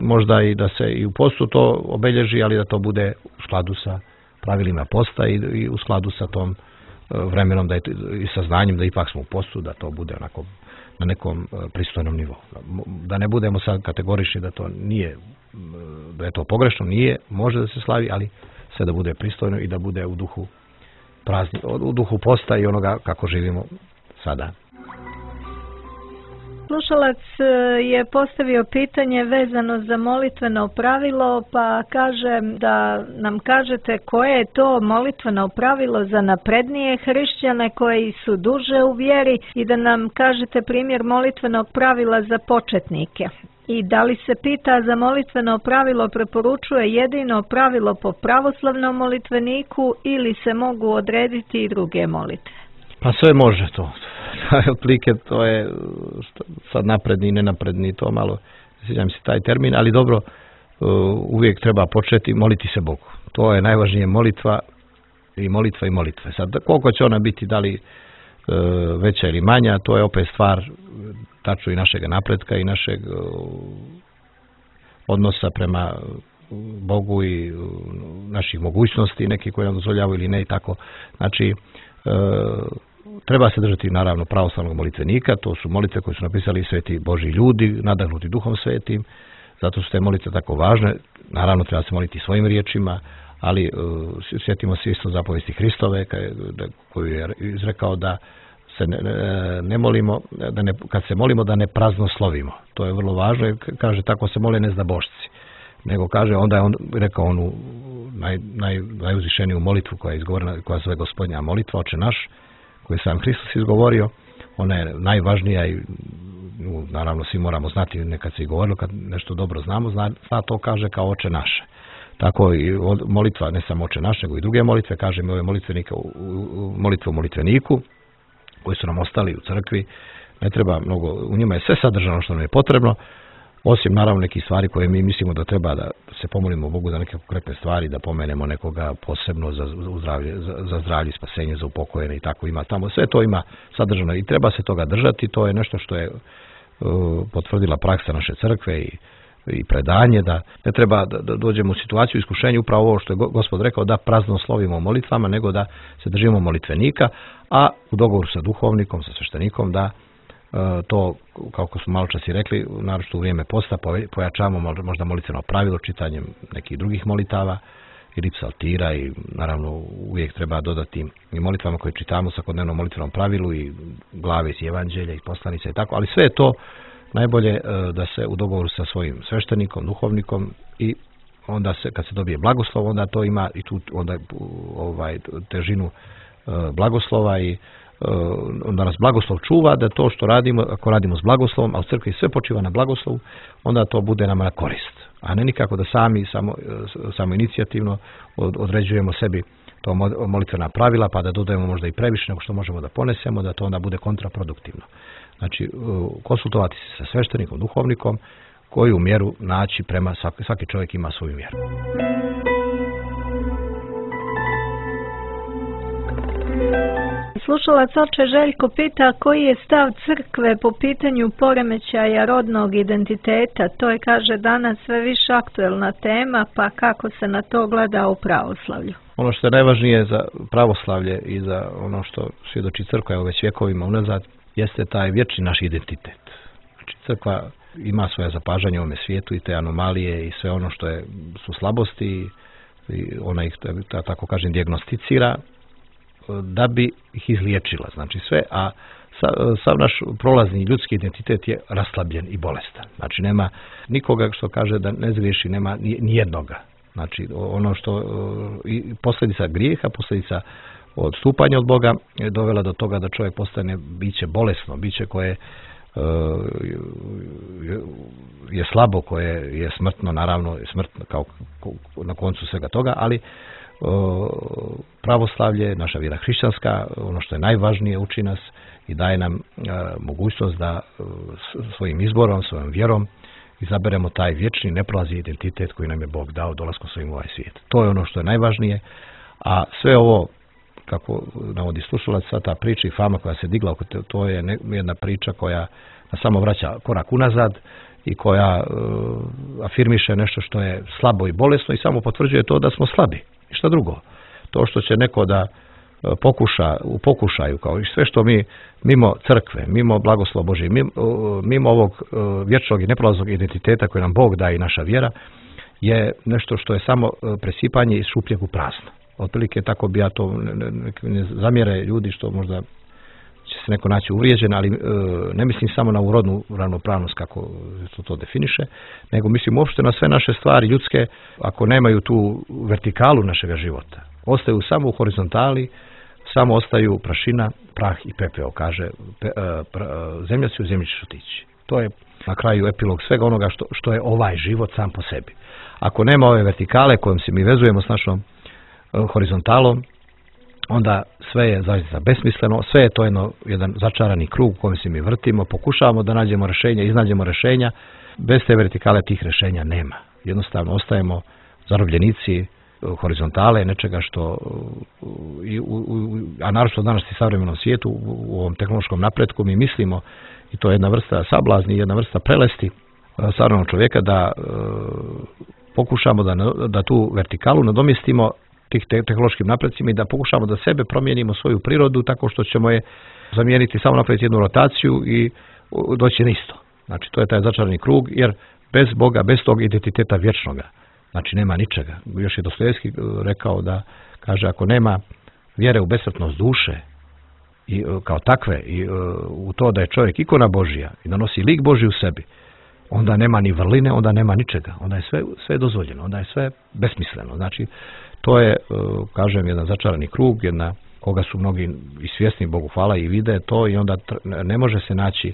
Speaker 6: možda i da se i u postu to obelježi, ali da to bude u skladu sa pravilima posta i, i u skladu sa tom vremenom da je, i sa znanjem da ipak smo u postu, da to bude onako na nekom pristojnom nivou. Da ne budemo sad kategorični da to nije, da je to pogrešno, nije, može da se slavi, ali sve da bude pristojno i da bude u duhu prazni, u duhu posta i onoga kako živimo sada.
Speaker 3: Slušalac je postavio pitanje vezano za molitveno pravilo, pa kaže da nam kažete koje je to molitveno pravilo za naprednije hrišćane koji su duže u vjeri i da nam kažete primjer molitvenog pravila za početnike. I da li se pita za molitveno pravilo preporučuje jedino pravilo po pravoslavnom molitveniku ili se mogu odrediti i druge molitve?
Speaker 6: Pa sve može to. Otprilike to je sad napredni i nenapredni, to malo, ne sjećam se taj termin, ali dobro, uvijek treba početi moliti se Bogu. To je najvažnije, molitva i molitva i molitve. Sad, koliko će ona biti, da li veća ili manja, to je opet stvar tačno i našeg napretka i našeg odnosa prema Bogu i naših mogućnosti, neki koji nam dozvoljavaju ili ne i tako. Znači, treba se držati naravno pravoslavnog molitvenika, to su molitve koje su napisali sveti Božji ljudi, nadahnuti Duhom Svetim, zato su te molitve tako važne. Naravno treba se moliti svojim riječima, ali sjetimo se isto zapovesti Hristove koju je izrekao da se ne, ne molimo, da ne, kad se molimo da ne praznoslovimo. To je vrlo važno jer kaže tako se mole nezdabošci. Nego kaže, onda je on rekao onu naj, naj, najuzvišeniju molitvu koja je izgovorena, koja zove Gospodnja molitva, Oče naš, koju je sam Hristos izgovorio. Ona je najvažnija i naravno svi moramo znati nekad se i govorilo, kad nešto dobro znamo, zna, zna to kaže kao Oče naše. Tako i molitva, ne samo Oče naš, nego i druge molitve, kaže mi ove molitvenike, molitve u molitveniku, koji su nam ostali u crkvi, ne treba mnogo, u njima je sve sadržano što nam je potrebno, osim naravno nekih stvari koje mi mislimo da treba da se pomolimo Bogu za neke konkretne stvari, da pomenemo nekoga posebno za zdravlje, za, za zdravlje, spasenje, za upokojene i tako ima tamo. Sve to ima sadržano i treba se toga držati, to je nešto što je uh, potvrdila praksa naše crkve i i predanje, da ne treba da, da dođemo u situaciju iskušenja, upravo ovo što je Gospod rekao, da praznoslovimo molitvama, nego da se držimo molitvenika, a u dogovoru sa duhovnikom, sa sveštenikom, da e, to, kako smo malo čas i rekli, naročito u vrijeme posta, pojačavamo možda molitveno pravilo čitanjem nekih drugih molitava ili psaltira i naravno uvijek treba dodati i molitvama koje čitamo svakodnevno molitvenom pravilu i glave iz evanđelja i poslanica i tako, ali sve je to najbolje da se u dogovoru sa svojim sveštenikom, duhovnikom i onda se kad se dobije blagoslov, onda to ima i tu onda ovaj težinu blagoslova i onda nas blagoslov čuva da to što radimo, ako radimo s blagoslovom, a u crkvi sve počiva na blagoslovu, onda to bude nama na korist, a ne nikako da sami samo, samo inicijativno određujemo sebi to molitvena pravila pa da dodajemo možda i previše nego što možemo da ponesemo, da to onda bude kontraproduktivno. Znači, konsultovati se sa sveštenikom, duhovnikom, koju mjeru naći prema, svaki, svaki čovjek ima svoju mjeru.
Speaker 3: Slušalac oče Željko pita koji je stav crkve po pitanju poremećaja rodnog identiteta. To je, kaže, danas sve više aktuelna tema, pa kako se na to gleda u pravoslavlju?
Speaker 6: Ono što je najvažnije za pravoslavlje i za ono što svjedoči crkva je već vjekovima unazad, jeste taj vječni naš identitet. Znači, crkva ima svoje zapažanje u ovome svijetu i te anomalije i sve ono što je, su slabosti i ona ih, da tako kažem, dijagnosticira da bi ih izliječila. Znači sve, a sav naš prolazni ljudski identitet je raslabljen i bolestan. Znači nema nikoga što kaže da ne zgriješi, nema ni jednoga. Znači ono što i posljedica grijeha, posljedica odstupanja od Boga je dovela do toga da čovjek postane biće bolesno, biće koje je slabo, koje je smrtno, naravno je smrtno kao na koncu svega toga, ali pravoslavlje, naša vjera hrišćanska, ono što je najvažnije, uči nas i daje nam mogućnost da svojim izborom, svojom vjerom izaberemo taj vječni neprolazni identitet koji nam je Bog dao dolaskom svojim u ovaj svijet. To je ono što je najvažnije, a sve ovo, kako navodi slušalac, sva ta priča i fama koja se digla, to je jedna priča koja nas samo vraća korak unazad i koja uh, afirmiše nešto što je slabo i bolesno i samo potvrđuje to da smo slabi. I šta drugo? To što će neko da uh, pokuša, u pokušaju, kao i sve što mi mimo crkve, mimo blagoslova Božje, mimo, uh, mimo ovog uh, vječnog i neprolaznog identiteta koji nam Bog daje i naša vjera, je nešto što je samo uh, presipanje iz šupljeg u prazno. Otprilike tako bi ja to, ne, ne, ne zamjere ljudi što možda će se neko naći uvrijeđen, ali e, ne mislim samo na urodnu ravnopravnost kako to, to definiše, nego mislim uopšte na sve naše stvari ljudske, ako nemaju tu vertikalu našega života. Ostaju samo u horizontali, samo ostaju prašina, prah i pepeo, kaže pe, e, pra, zemlja si u zemlji ćeš otići. To je na kraju epilog svega onoga što, što je ovaj život sam po sebi. Ako nema ove vertikale kojom se mi vezujemo s našom horizontalom, onda sve je zaista besmisleno, sve je to jedno, jedan začarani krug u kojem se mi vrtimo, pokušavamo da nađemo rješenja, iznađemo rješenja, bez te vertikale tih rješenja nema. Jednostavno ostajemo zarobljenici horizontale, nečega što, i, u, u, a naročito danas i savremenom svijetu, u, u ovom tehnološkom napretku mi mislimo, i to je jedna vrsta sablazni, jedna vrsta prelesti savremenog čovjeka, da e, pokušamo da, da tu vertikalu nadomjestimo tih tehnološkim napredcima i da pokušamo da sebe promijenimo svoju prirodu tako što ćemo je zamijeniti, samo napraviti jednu rotaciju i doći na isto. Znači to je taj začarani krug, jer bez Boga, bez tog identiteta vječnoga Znači nema ničega. Još je Dostojevski rekao da, kaže, ako nema vjere u besmrtnost duše i kao takve i u to da je čovjek ikona Božja i da nosi lik Božji u sebi, onda nema ni vrline, onda nema ničega. Onda je sve, sve dozvoljeno, onda je sve besmisleno. Znači, to je, kažem, jedan začarani krug, jedna koga su mnogi i svjesni, Bogu hvala, i vide to, i onda ne može se naći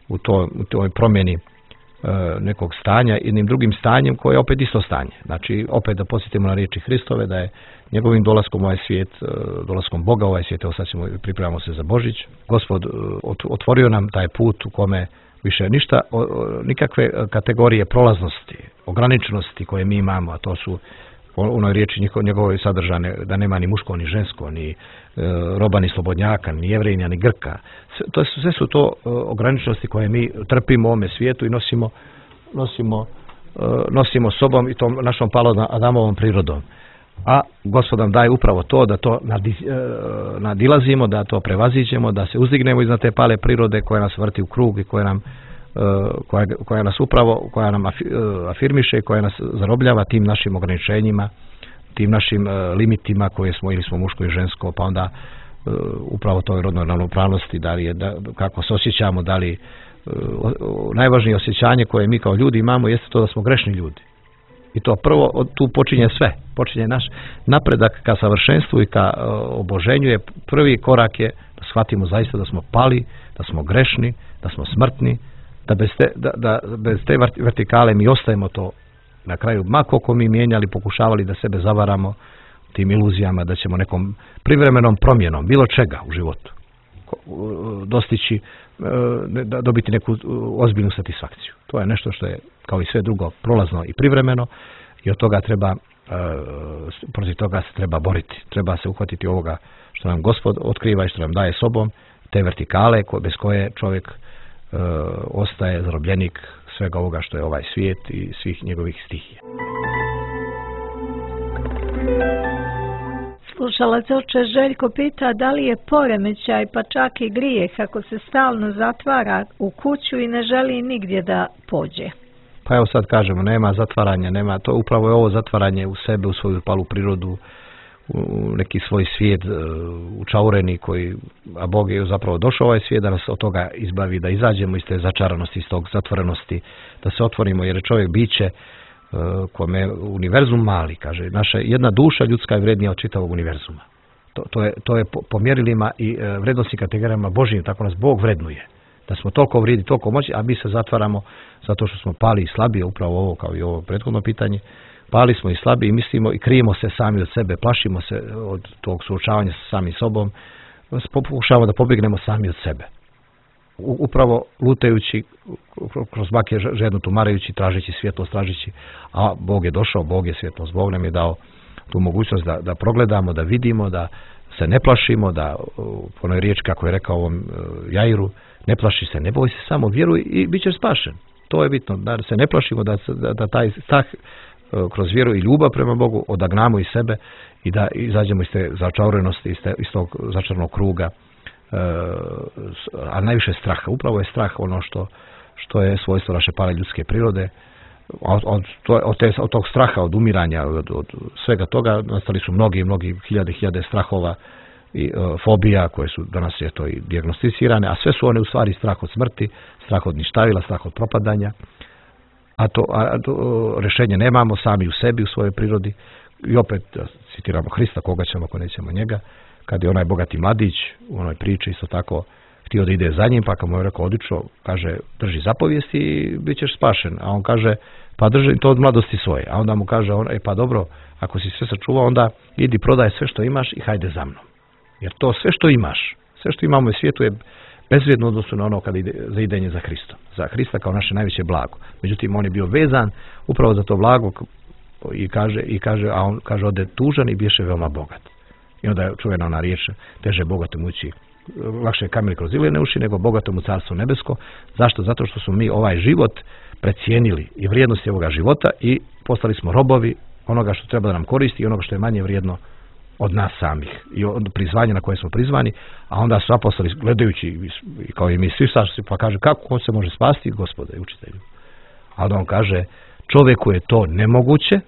Speaker 6: u, to, u toj promjeni nekog stanja jednim drugim stanjem koje je opet isto stanje. Znači, opet da podsjetimo na riječi Hristove, da je njegovim dolaskom u ovaj svijet, dolaskom Boga u ovaj svijet, evo sad ćemo, pripremamo se za Božić, Gospod otvorio nam taj put u kome više ništa, nikakve kategorije prolaznosti, ograničenosti koje mi imamo, a to su u onoj riječi njegove sadržane, da nema ni muško, ni žensko, ni e, roba, ni slobodnjaka, ni jevrejnja, ni Grka. Sve, to, sve su to e, ograničenosti koje mi trpimo u ovome svijetu i nosimo, nosimo, e, nosimo sobom i tom našom palom Adamovom prirodom. A Gospod nam daje upravo to, da to nadi, e, nadilazimo, da to prevaziđemo, da se uzdignemo iznad te pale prirode koja nas vrti u krug i koja nam Koja, koja nas upravo, koja nam afirmiše, koja nas zarobljava tim našim ograničenjima, tim našim limitima koje smo, ili smo muško i žensko, pa onda upravo toj rodnoj ravnopravnosti, da li je, da, kako se osjećamo, da li najvažnije osjećanje koje mi kao ljudi imamo jeste to da smo grešni ljudi. I to prvo, tu počinje sve, počinje naš napredak ka savršenstvu i ka oboženju, je prvi korak je da shvatimo zaista da smo pali, da smo grešni, da smo smrtni, da bez te, da, da bez te vertikale mi ostajemo to na kraju, ma koliko mi mijenjali, pokušavali da sebe zavaramo tim iluzijama da ćemo nekom privremenom promjenom bilo čega u životu dostići, da dobiti neku ozbiljnu satisfakciju. To je nešto što je, kao i sve drugo, prolazno i privremeno, i od toga treba, protiv toga se treba boriti. Treba se uhvatiti ovoga što nam Gospod otkriva i što nam daje sobom, te vertikale bez koje čovjek Uh, ostaje zarobljenik svega ovoga što je ovaj svijet i svih njegovih stihija.
Speaker 3: Slušalac oče Željko pita da li je poremećaj pa čak i grijeh ako se stalno zatvara u kuću i ne želi nigdje da pođe.
Speaker 6: Pa evo sad kažemo, nema zatvaranja, nema, to upravo je ovo zatvaranje u sebe, u svoju palu prirodu, u neki svoj svijet učaureni, koji, a Bog je zapravo došao ovaj svijet da nas od toga izbavi, da izađemo iz te začaranosti, iz tog zatvorenosti, da se otvorimo, jer je čovjek biće kome je univerzum mali, kaže, naša jedna duša ljudska je vrednija od čitavog univerzuma. To, to je, to je po, po mjerilima i vrednostnim kategorijama Božjim, tako nas Bog vrednuje. Da smo toliko vrijedi, toliko moći, a mi se zatvaramo zato što smo pali i slabiji, upravo ovo kao i ovo prethodno pitanje. Pali smo i slabi i mislimo i krijemo se sami od sebe, plašimo se od tog suočavanja sa samim sobom, pokušavamo da pobjegnemo sami od sebe. Upravo lutajući kroz bake žedno tumarajući, tražeći svjetlost, tražeći, a Bog je došao, Bog je svjetlost, Bog nam je dao tu mogućnost da, da progledamo, da vidimo, da se ne plašimo, da po onoj riječi kako je rekao ovom Jairu, ne plaši se, ne boj se, samo vjeruj i bit ćeš spašen. To je bitno, da se ne plašimo, da, da, da taj strah kroz vjeru i ljubav prema Bogu odagnamo iz sebe i da izađemo iz te začaurenosti, iz, te, iz tog začarnog kruga, e, a najviše straha. Upravo je strah ono što, što je svojstvo naše pale ljudske prirode. Od, od, od, te, od tog straha, od umiranja, od, od svega toga nastali su mnogi, mnogi hiljade, hiljade strahova i e, fobija koje su danas je to i dijagnosticirane, a sve su one u stvari strah od smrti, strah od ništavila, strah od propadanja. A to, a to rješenje nemamo sami u sebi, u svojoj prirodi. I opet citiramo Hrista, koga ćemo ako nećemo njega, kad je onaj bogati mladić u onoj priči isto tako htio da ide za njim, pa kad mu je rekao odlično, kaže drži zapovijesti i bit ćeš spašen. A on kaže pa drži to od mladosti svoje. A onda mu kaže on, e pa dobro, ako si sve sačuvao, onda idi prodaj sve što imaš i hajde za mnom. Jer to sve što imaš, sve što imamo u svijetu je bezvrijedno odnosu na ono kada ide za idenje za Hristom. Za Hrista kao naše najveće blago. Međutim, on je bio vezan upravo za to blago i kaže, i kaže, a on kaže ode tužan i biješe veoma bogat. I onda je čuvena ona riječ, teže bogatom ući, lakše je kamen kroz iline uši nego bogatom u carstvo nebesko. Zašto? Zato što smo mi ovaj život precijenili i vrijednosti ovoga života i postali smo robovi onoga što treba da nam koristi i onoga što je manje vrijedno od nas samih i od prizvanja na koje smo prizvani, a onda su apostoli gledajući kao i mi svi sašli, pa kaže kako on se može spasti, Gospode i učitelju. A onda on kaže čovjeku je to nemoguće,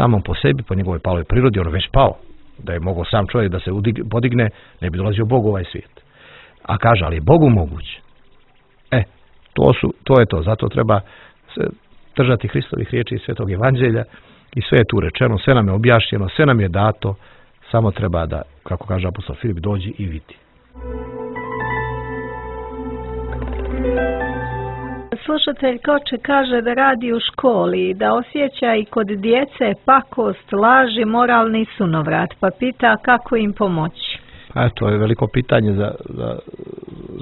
Speaker 6: samom po sebi, po njegovoj paloj prirodi, on već pao. Da je mogao sam čovjek da se podigne, ne bi dolazio Bogu u ovaj svijet. A kaže, ali je Bogu moguće. E, to, su, to je to. Zato treba se držati Hristovih riječi i Svetog Evanđelja i sve je tu rečeno, sve nam je objašnjeno, sve nam je dato, samo treba da, kako kaže apostol Filip, dođi i vidi.
Speaker 3: Slušatelj Koče kaže da radi u školi i da osjeća i kod djece pakost, laži, moralni sunovrat, pa pita kako im pomoći.
Speaker 6: A to je veliko pitanje za, za,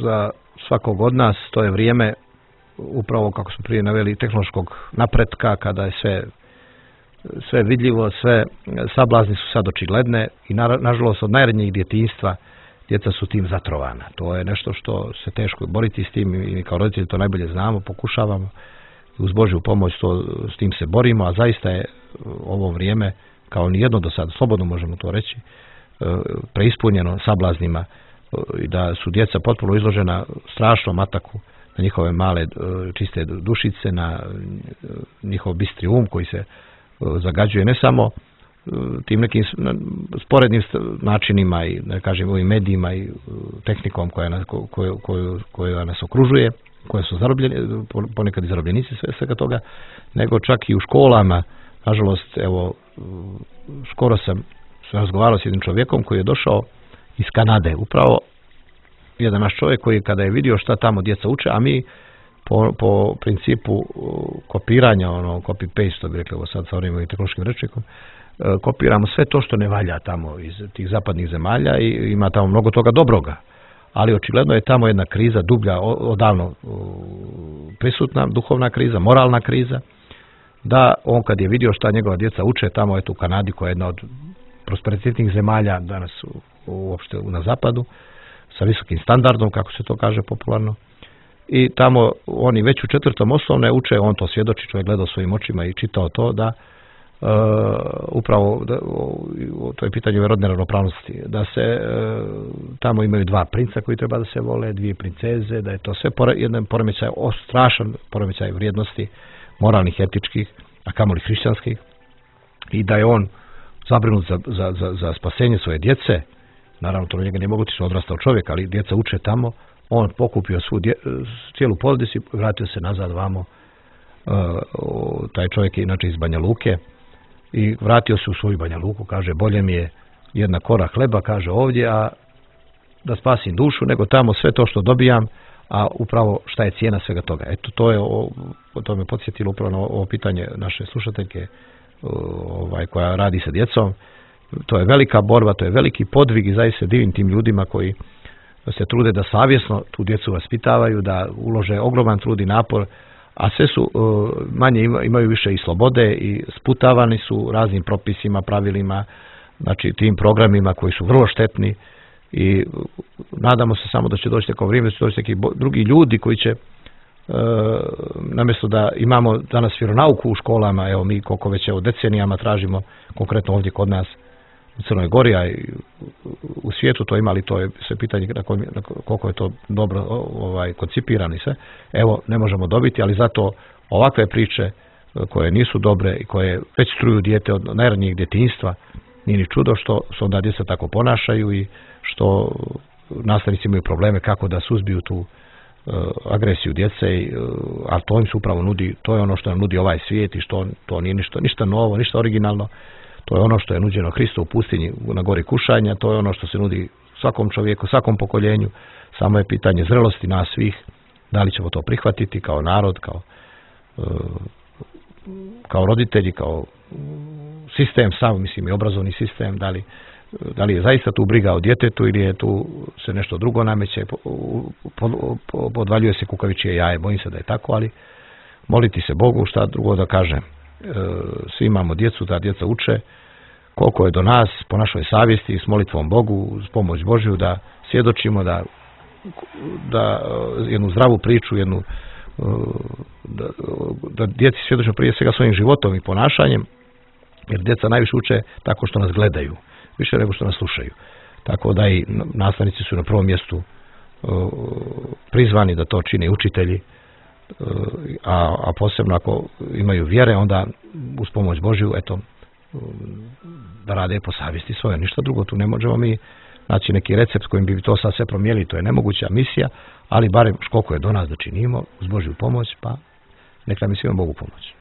Speaker 6: za svakog od nas. To je vrijeme, upravo kako smo prije naveli, tehnološkog napretka, kada je sve, sve vidljivo, sve sablazni su sad očigledne i na, nažalost od najranijeg djetinjstva djeca su tim zatrovana. To je nešto što se teško boriti s tim i kao roditelji to najbolje znamo, pokušavamo uz Božju pomoć to, s tim se borimo, a zaista je ovo vrijeme, kao nijedno do sada, slobodno možemo to reći, preispunjeno sablaznima i da su djeca potpuno izložena strašnom ataku na njihove male čiste dušice, na njihov bistri um koji se zagađuje ne samo tim nekim sporednim načinima i da kažem ovim medijima i tehnikom koja nas, koju, koju, koja nas okružuje, koje su zarobljeni, ponekad i zarobljenici sve svega toga, nego čak i u školama. Nažalost, evo, skoro sam razgovarao s jednim čovjekom koji je došao iz Kanade, upravo jedan naš čovjek koji kada je vidio šta tamo djeca uče, a mi po, po principu kopiranja, ono copy-paste, to bi rekli ovo sad sa ovim tehnološkim rečnikom, kopiramo sve to što ne valja tamo iz tih zapadnih zemalja i ima tamo mnogo toga dobroga. Ali očigledno je tamo jedna kriza dublja, odavno prisutna, duhovna kriza, moralna kriza, da on kad je vidio šta njegova djeca uče tamo eto u Kanadi, koja je jedna od prosperitetnih zemalja danas uopšte na zapadu, sa visokim standardom, kako se to kaže popularno, i tamo oni već u četvrtom osnovne uče, on to svjedoči, čovjek gledao svojim očima i čitao to, da Uh, upravo da, o, to je pitanje rodne ravnopravnosti, da se uh, tamo imaju dva princa koji treba da se vole, dvije princeze, da je to sve pore, jedan poremećaj, o, strašan poremećaj vrijednosti moralnih, etičkih, a kamoli hrišćanskih, i da je on zabrinut za, za, za, za spasenje svoje djece. Naravno to njega nije moguće, odrastao čovjek, ali djeca uče tamo. On pokupio svu dje, cijelu porodicu i vratio se nazad vamo. Uh, taj čovjek je inače iz Banja Luke i vratio se u svoju Banja Luku, kaže, bolje mi je jedna kora hleba, kaže, ovdje, a da spasim dušu, nego tamo sve to što dobijam, a upravo šta je cijena svega toga. Eto, to je, o, to me podsjetilo upravo na ovo pitanje naše slušateljke, ovaj, koja radi sa djecom. To je velika borba, to je veliki podvig i zaista divim tim ljudima koji se trude da savjesno tu djecu vaspitavaju, da ulože ogroman trud i napor, a sve su manje imaju više i slobode i sputavani su raznim propisima, pravilima, znači tim programima koji su vrlo štetni i nadamo se samo da će doći neko vrijeme, da će doći neki drugi ljudi koji će, namjesto da imamo danas vjeronauku u školama, evo mi koliko već evo decenijama tražimo, konkretno ovdje kod nas u Crnoj Gori, a i u svijetu to ima, ali to je sve pitanje na koliko je to dobro ovaj, koncipirano i sve. Evo, ne možemo dobiti, ali zato ovakve priče koje nisu dobre i koje već struju dijete od najranijeg djetinjstva, nije ni čudo što se onda djeca tako ponašaju i što nastavnici imaju probleme kako da suzbiju tu uh, agresiju djece, i, uh, a to im se upravo nudi, to je ono što nam nudi ovaj svijet i što to nije ništa, ništa novo, ništa originalno. To je ono što je nuđeno Hristu u pustinji na gori kušanja, to je ono što se nudi svakom čovjeku, svakom pokoljenju, samo je pitanje zrelosti nas svih, da li ćemo to prihvatiti kao narod, kao, kao roditelji, kao sistem sam, mislim i obrazovni sistem, da li, da li je zaista tu briga o djetetu ili je tu se nešto drugo nameće, podvaljuje se kukavičije jaje, bojim se da je tako, ali moliti se Bogu, šta drugo da kažem. Svi imamo djecu, da djeca uče, koliko je do nas po našoj savjesti s molitvom Bogu, s pomoć Božju da svjedočimo, da, da jednu zdravu priču, jednu da, da djeci svjedočimo prije svega svojim životom i ponašanjem, jer djeca najviše uče tako što nas gledaju, više nego što nas slušaju. Tako da i nastavnici su na prvom mjestu prizvani da to čine učitelji, a, a posebno ako imaju vjere, onda uz pomoć Božju, eto, da rade po savjesti svoje. Ništa drugo, tu ne možemo mi naći neki recept kojim bi to sad sve promijenili, to je nemoguća misija, ali barem koliko je do nas da činimo, uz Božju pomoć, pa neka mi svima Bogu pomoć.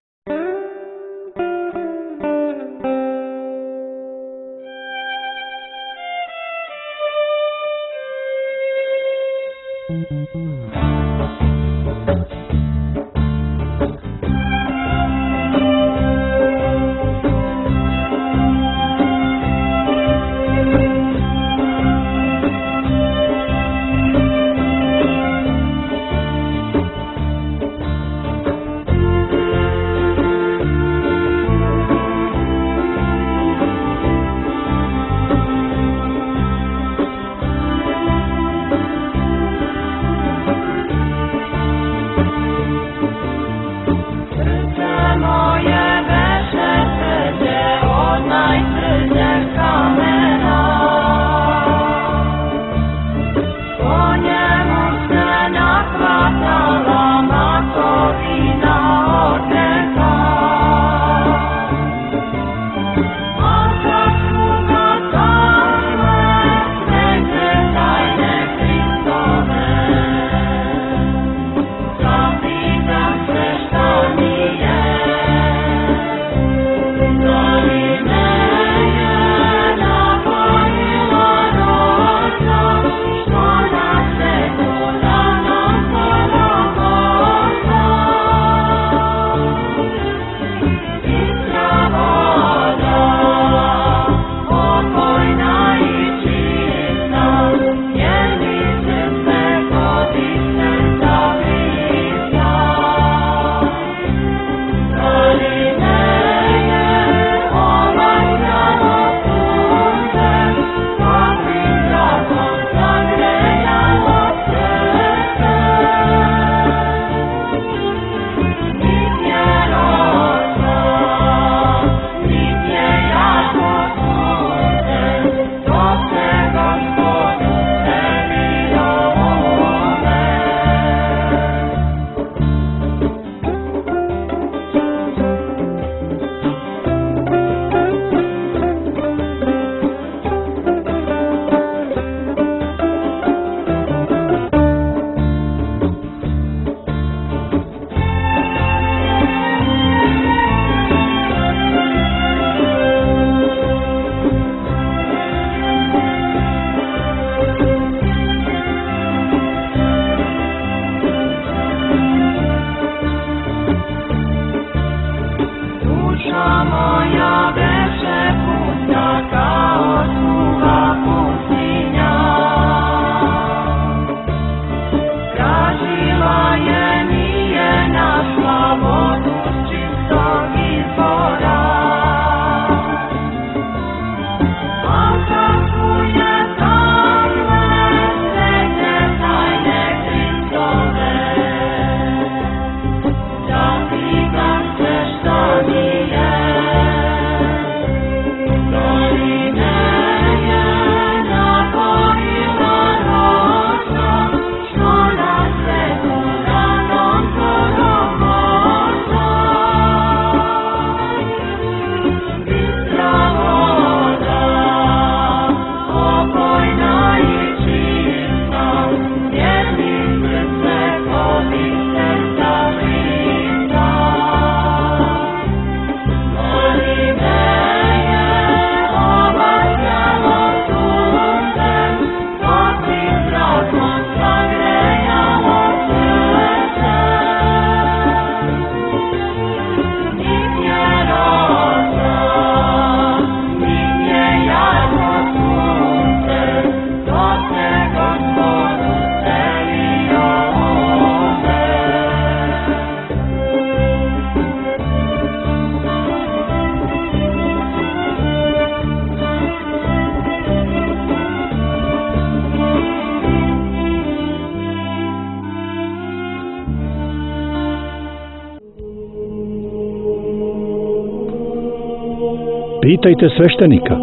Speaker 7: Pitajte sveštenika.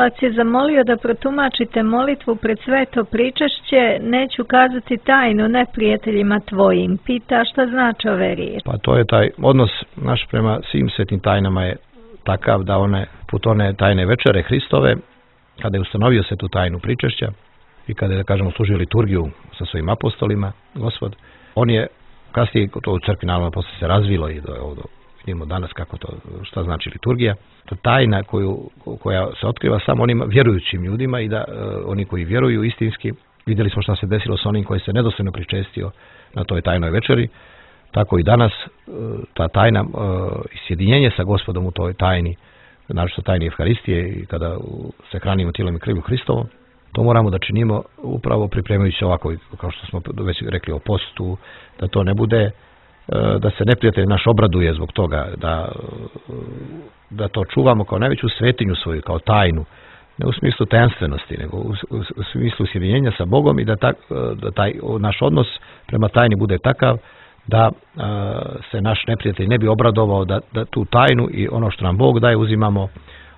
Speaker 3: slušalac je zamolio da protumačite molitvu pred sveto pričešće, neću kazati tajnu neprijateljima tvojim. Pita šta znači ove riječi.
Speaker 6: Pa to je taj odnos naš prema svim svetim tajnama je takav da one, put one tajne večere Hristove, kada je ustanovio svetu tajnu pričešća i kada je, da kažemo, služio liturgiju sa svojim apostolima, Gospod, on je kasnije, to u crkvi naravno posle se razvilo i do ovdje vidimo danas kako to, šta znači liturgija. To tajna koju, koja se otkriva samo onim vjerujućim ljudima i da uh, oni koji vjeruju istinski, vidjeli smo šta se desilo s onim koji se nedostojno pričestio na toj tajnoj večeri, tako i danas uh, ta tajna uh, i sjedinjenje sa Gospodom u toj tajni, naročito tajni Evharistije i kada se hranimo tijelom i krvlju Hristovom, to moramo da činimo upravo pripremajući ovako, kao što smo već rekli o postu, da to ne bude, da se neprijatelj naš obraduje zbog toga, da, da to čuvamo kao najveću svetinju svoju, kao tajnu, ne u smislu tajanstvenosti, nego u, u, u smislu sjedinjenja sa Bogom i da, ta, da taj naš odnos prema tajni bude takav da a, se naš neprijatelj ne bi obradovao, da, da tu tajnu i ono što nam Bog daje uzimamo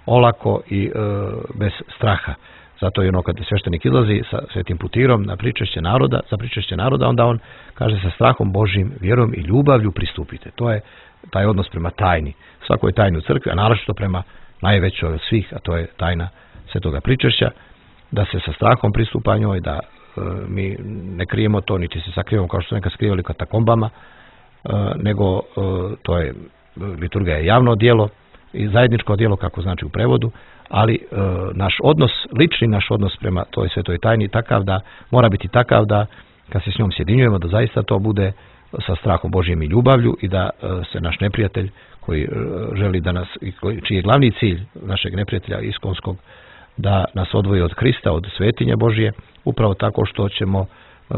Speaker 6: olako i a, bez straha. Zato je ono kad sveštenik izlazi sa svetim putirom na pričešće naroda, za pričešće naroda, onda on kaže sa strahom Božjim, vjerom i ljubavlju pristupite. To je taj odnos prema tajni. Svako je tajni u crkvi, a naročito prema najvećoj od svih, a to je tajna svetoga pričešća, da se sa strahom pristupa njoj, da e, mi ne krijemo to, niti se sakrivamo kao što su nekad skrivali katakombama, e, nego e, to je, liturgija je javno djelo i zajedničko djelo, kako znači u prevodu, ali e, naš odnos, lični naš odnos prema toj svetoj tajni takav da, mora biti takav da kad se s njom sjedinjujemo, da zaista to bude sa strahom Božjem i ljubavlju i da e, se naš neprijatelj koji e, želi da nas, koji, čiji je glavni cilj našeg neprijatelja iskonskog, da nas odvoji od Krista, od svetinje Božje, upravo tako što ćemo e,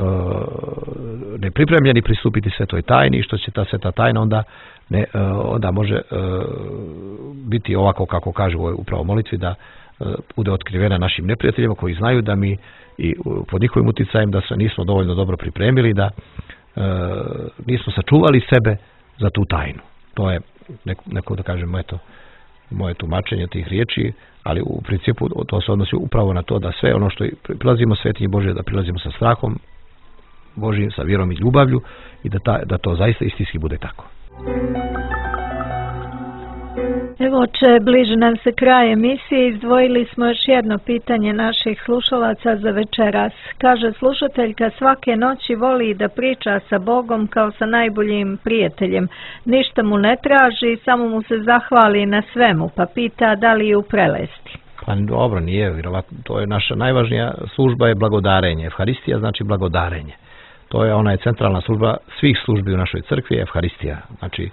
Speaker 6: nepripremljeni pristupiti svetoj tajni i što će ta sveta tajna onda ne, onda može biti ovako kako kaže u upravo molitvi, da bude otkrivena našim neprijateljima koji znaju da mi i pod njihovim uticajem da se nismo dovoljno dobro pripremili, da nismo sačuvali sebe za tu tajnu. To je neko, neko da kažemo, eto, moje tumačenje tih riječi, ali u principu to se odnosi upravo na to da sve ono što prilazimo svetinji Božje, da prilazimo sa strahom Božjim, sa vjerom i ljubavlju i da, ta, da to zaista istinski bude tako.
Speaker 3: Evo, oče, bliže nam se kraj emisije, izdvojili smo još jedno pitanje naših slušalaca za večeras. Kaže slušateljka, svake noći voli da priča sa Bogom kao sa najboljim prijateljem. Ništa mu ne traži, samo mu se zahvali na svemu, pa pita da li ju prelesti.
Speaker 6: Pa dobro, nije, vjerovatno, to je naša najvažnija služba je blagodarenje. Evharistija znači blagodarenje. To je ona je centralna služba svih službi u našoj crkvi, Evharistija. Znači,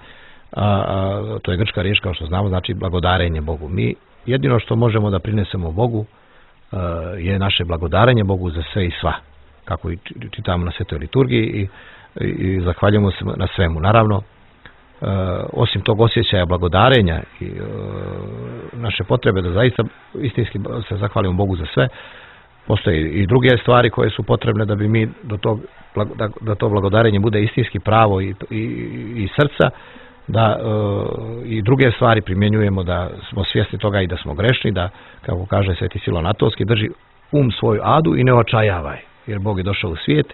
Speaker 6: a, a, to je grčka riječ, kao što znamo, znači blagodarenje Bogu. Mi jedino što možemo da prinesemo Bogu a, je naše blagodarenje Bogu za sve i sva. Kako i čitamo na svetoj liturgiji i, i, i zahvaljujemo se na svemu. Naravno, a, osim tog osjećaja blagodarenja i a, naše potrebe da zaista istinski se zahvalimo Bogu za sve, postoje i druge stvari koje su potrebne da bi mi do tog, da, da to blagodarenje bude istinski pravo i, i, i srca, da e, i druge stvari primjenjujemo, da smo svjesni toga i da smo grešni, da, kako kaže Sveti Silvan Atonski, drži um svoju adu i ne očajavaj, jer Bog je došao u svijet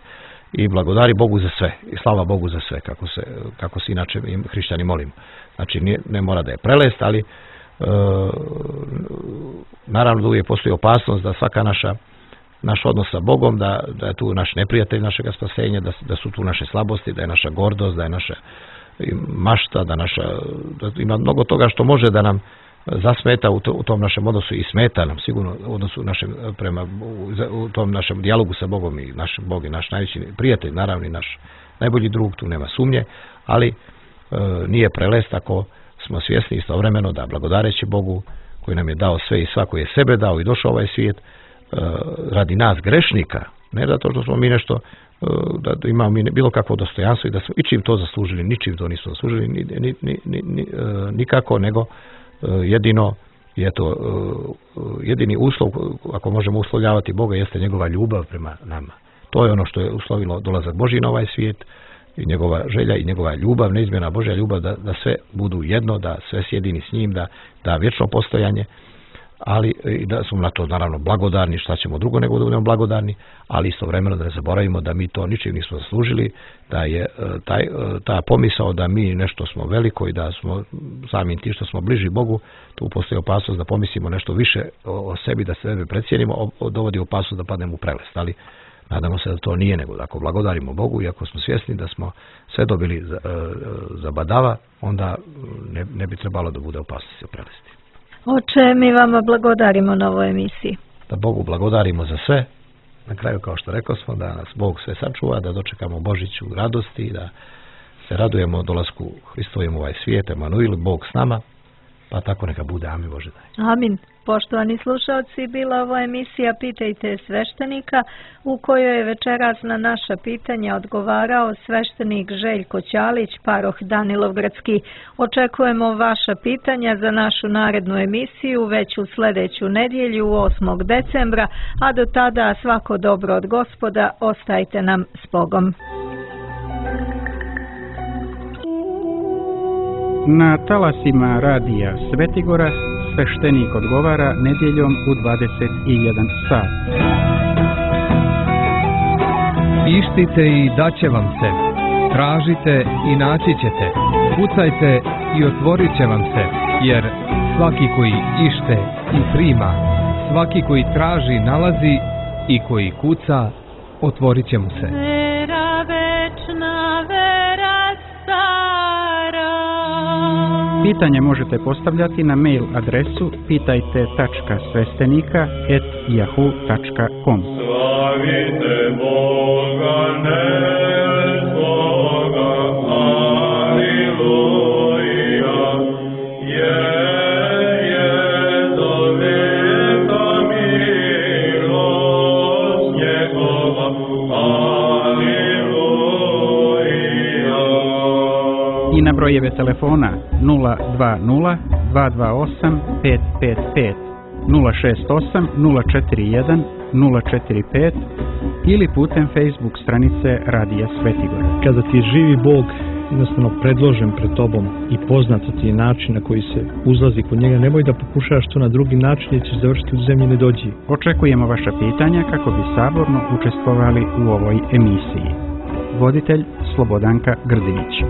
Speaker 6: i blagodari Bogu za sve i slava Bogu za sve, kako se, kako se inače hrišćani molimo. Znači ne, ne mora da je prelest, ali e, naravno da uvijek postoji opasnost da svaka naša naš odnos sa Bogom, da, da je tu naš neprijatelj našega spasenja, da, da su tu naše slabosti, da je naša gordost, da je naša mašta, da naša, da ima mnogo toga što može da nam zasmeta u, to, u tom našem odnosu i smeta nam sigurno u odnosu našem prema u, u tom našem dijalogu sa Bogom i naš Bog je naš najveći prijatelj, naravno i naš najbolji drug, tu nema sumnje, ali e, nije prelest ako smo svjesni istovremeno da blagodareći Bogu koji nam je dao sve i svako je sebe dao i došao ovaj svijet e, radi nas grešnika, ne zato što smo mi nešto da imamo mi bilo kakvo dostojanstvo i da smo ičim to zaslužili, ničim to nismo zaslužili ni, ni, ni, ni, ni, nikako, nego jedino je to jedini uslov, ako možemo uslovljavati Boga, jeste njegova ljubav prema nama. To je ono što je uslovilo dolazak Božji na ovaj svijet i njegova želja i njegova ljubav, neizmjerna Božja ljubav da, da sve budu jedno, da sve sjedini s njim, da, da vječno postojanje ali i da smo na to naravno blagodarni, šta ćemo drugo nego da budemo blagodarni, ali istovremeno da ne zaboravimo da mi to ničim nismo zaslužili, da je taj, ta pomisao da mi nešto smo veliko i da smo samim tim što smo bliži Bogu, tu postoji opasnost da pomislimo nešto više o sebi, da sebe precijenimo, dovodi opasnost da padnemo u prelest, ali nadamo se da to nije, nego da ako blagodarimo Bogu i ako smo svjesni da smo sve dobili za, za badava, onda ne, ne bi trebalo da bude opasnosti o prelesti.
Speaker 3: Oče, mi vama blagodarimo na ovoj emisiji.
Speaker 6: Da Bogu blagodarimo za sve. Na kraju, kao što rekao smo, da nas Bog sve sačuva, da dočekamo Božić u radosti, da se radujemo dolasku Hristovom u ovaj svijet, Emanuil, Bog s nama, pa tako neka bude. Amin, Bože daj.
Speaker 3: Amin. Poštovani slušalci, bila ovo emisija Pitajte sveštenika, u kojoj je večeras na naša pitanja odgovarao sveštenik Željko Ćalić, paroh Danilovgradski. Očekujemo vaša pitanja za našu narednu emisiju već u sljedeću nedjelju, osmog decembra, a do tada svako dobro od Gospoda, ostajte nam s Bogom.
Speaker 1: Na talasima radija Svetigora sveštenik odgovara nedjeljom u dvadeset jedan sat.
Speaker 2: Ištite i daće vam se. Tražite i naći ćete. Kucajte i otvorit će vam se. Jer svaki koji ište i prima, svaki koji traži nalazi i koji kuca, otvorit će mu se.
Speaker 8: Vera večna, vera stara.
Speaker 1: Pitanje možete postavljati na mail adresu pitajte tačka sveštenika at yahoo tačka com.
Speaker 4: Slavite Boga nebskoga, aleluja, jer je do veka milost njegova, aleluja.
Speaker 1: I na brojeve telefona nula dva nula dva dva osam pet pet pet, nula šest osam nula četiri jedan nula četiri pet ili putem Facebook stranice Radija Svetigora.
Speaker 5: Kada ti je živi Bog jednostavno predložen pred tobom i poznat ti je način na koji se uzlazi kod njega, nemoj da pokušaš to na drugi način jer ćeš završiti u zemlji nedođi.
Speaker 1: Očekujemo vaša pitanja kako bi saborno učestvovali u ovoj emisiji. Voditelj Slobodanka Grdinić.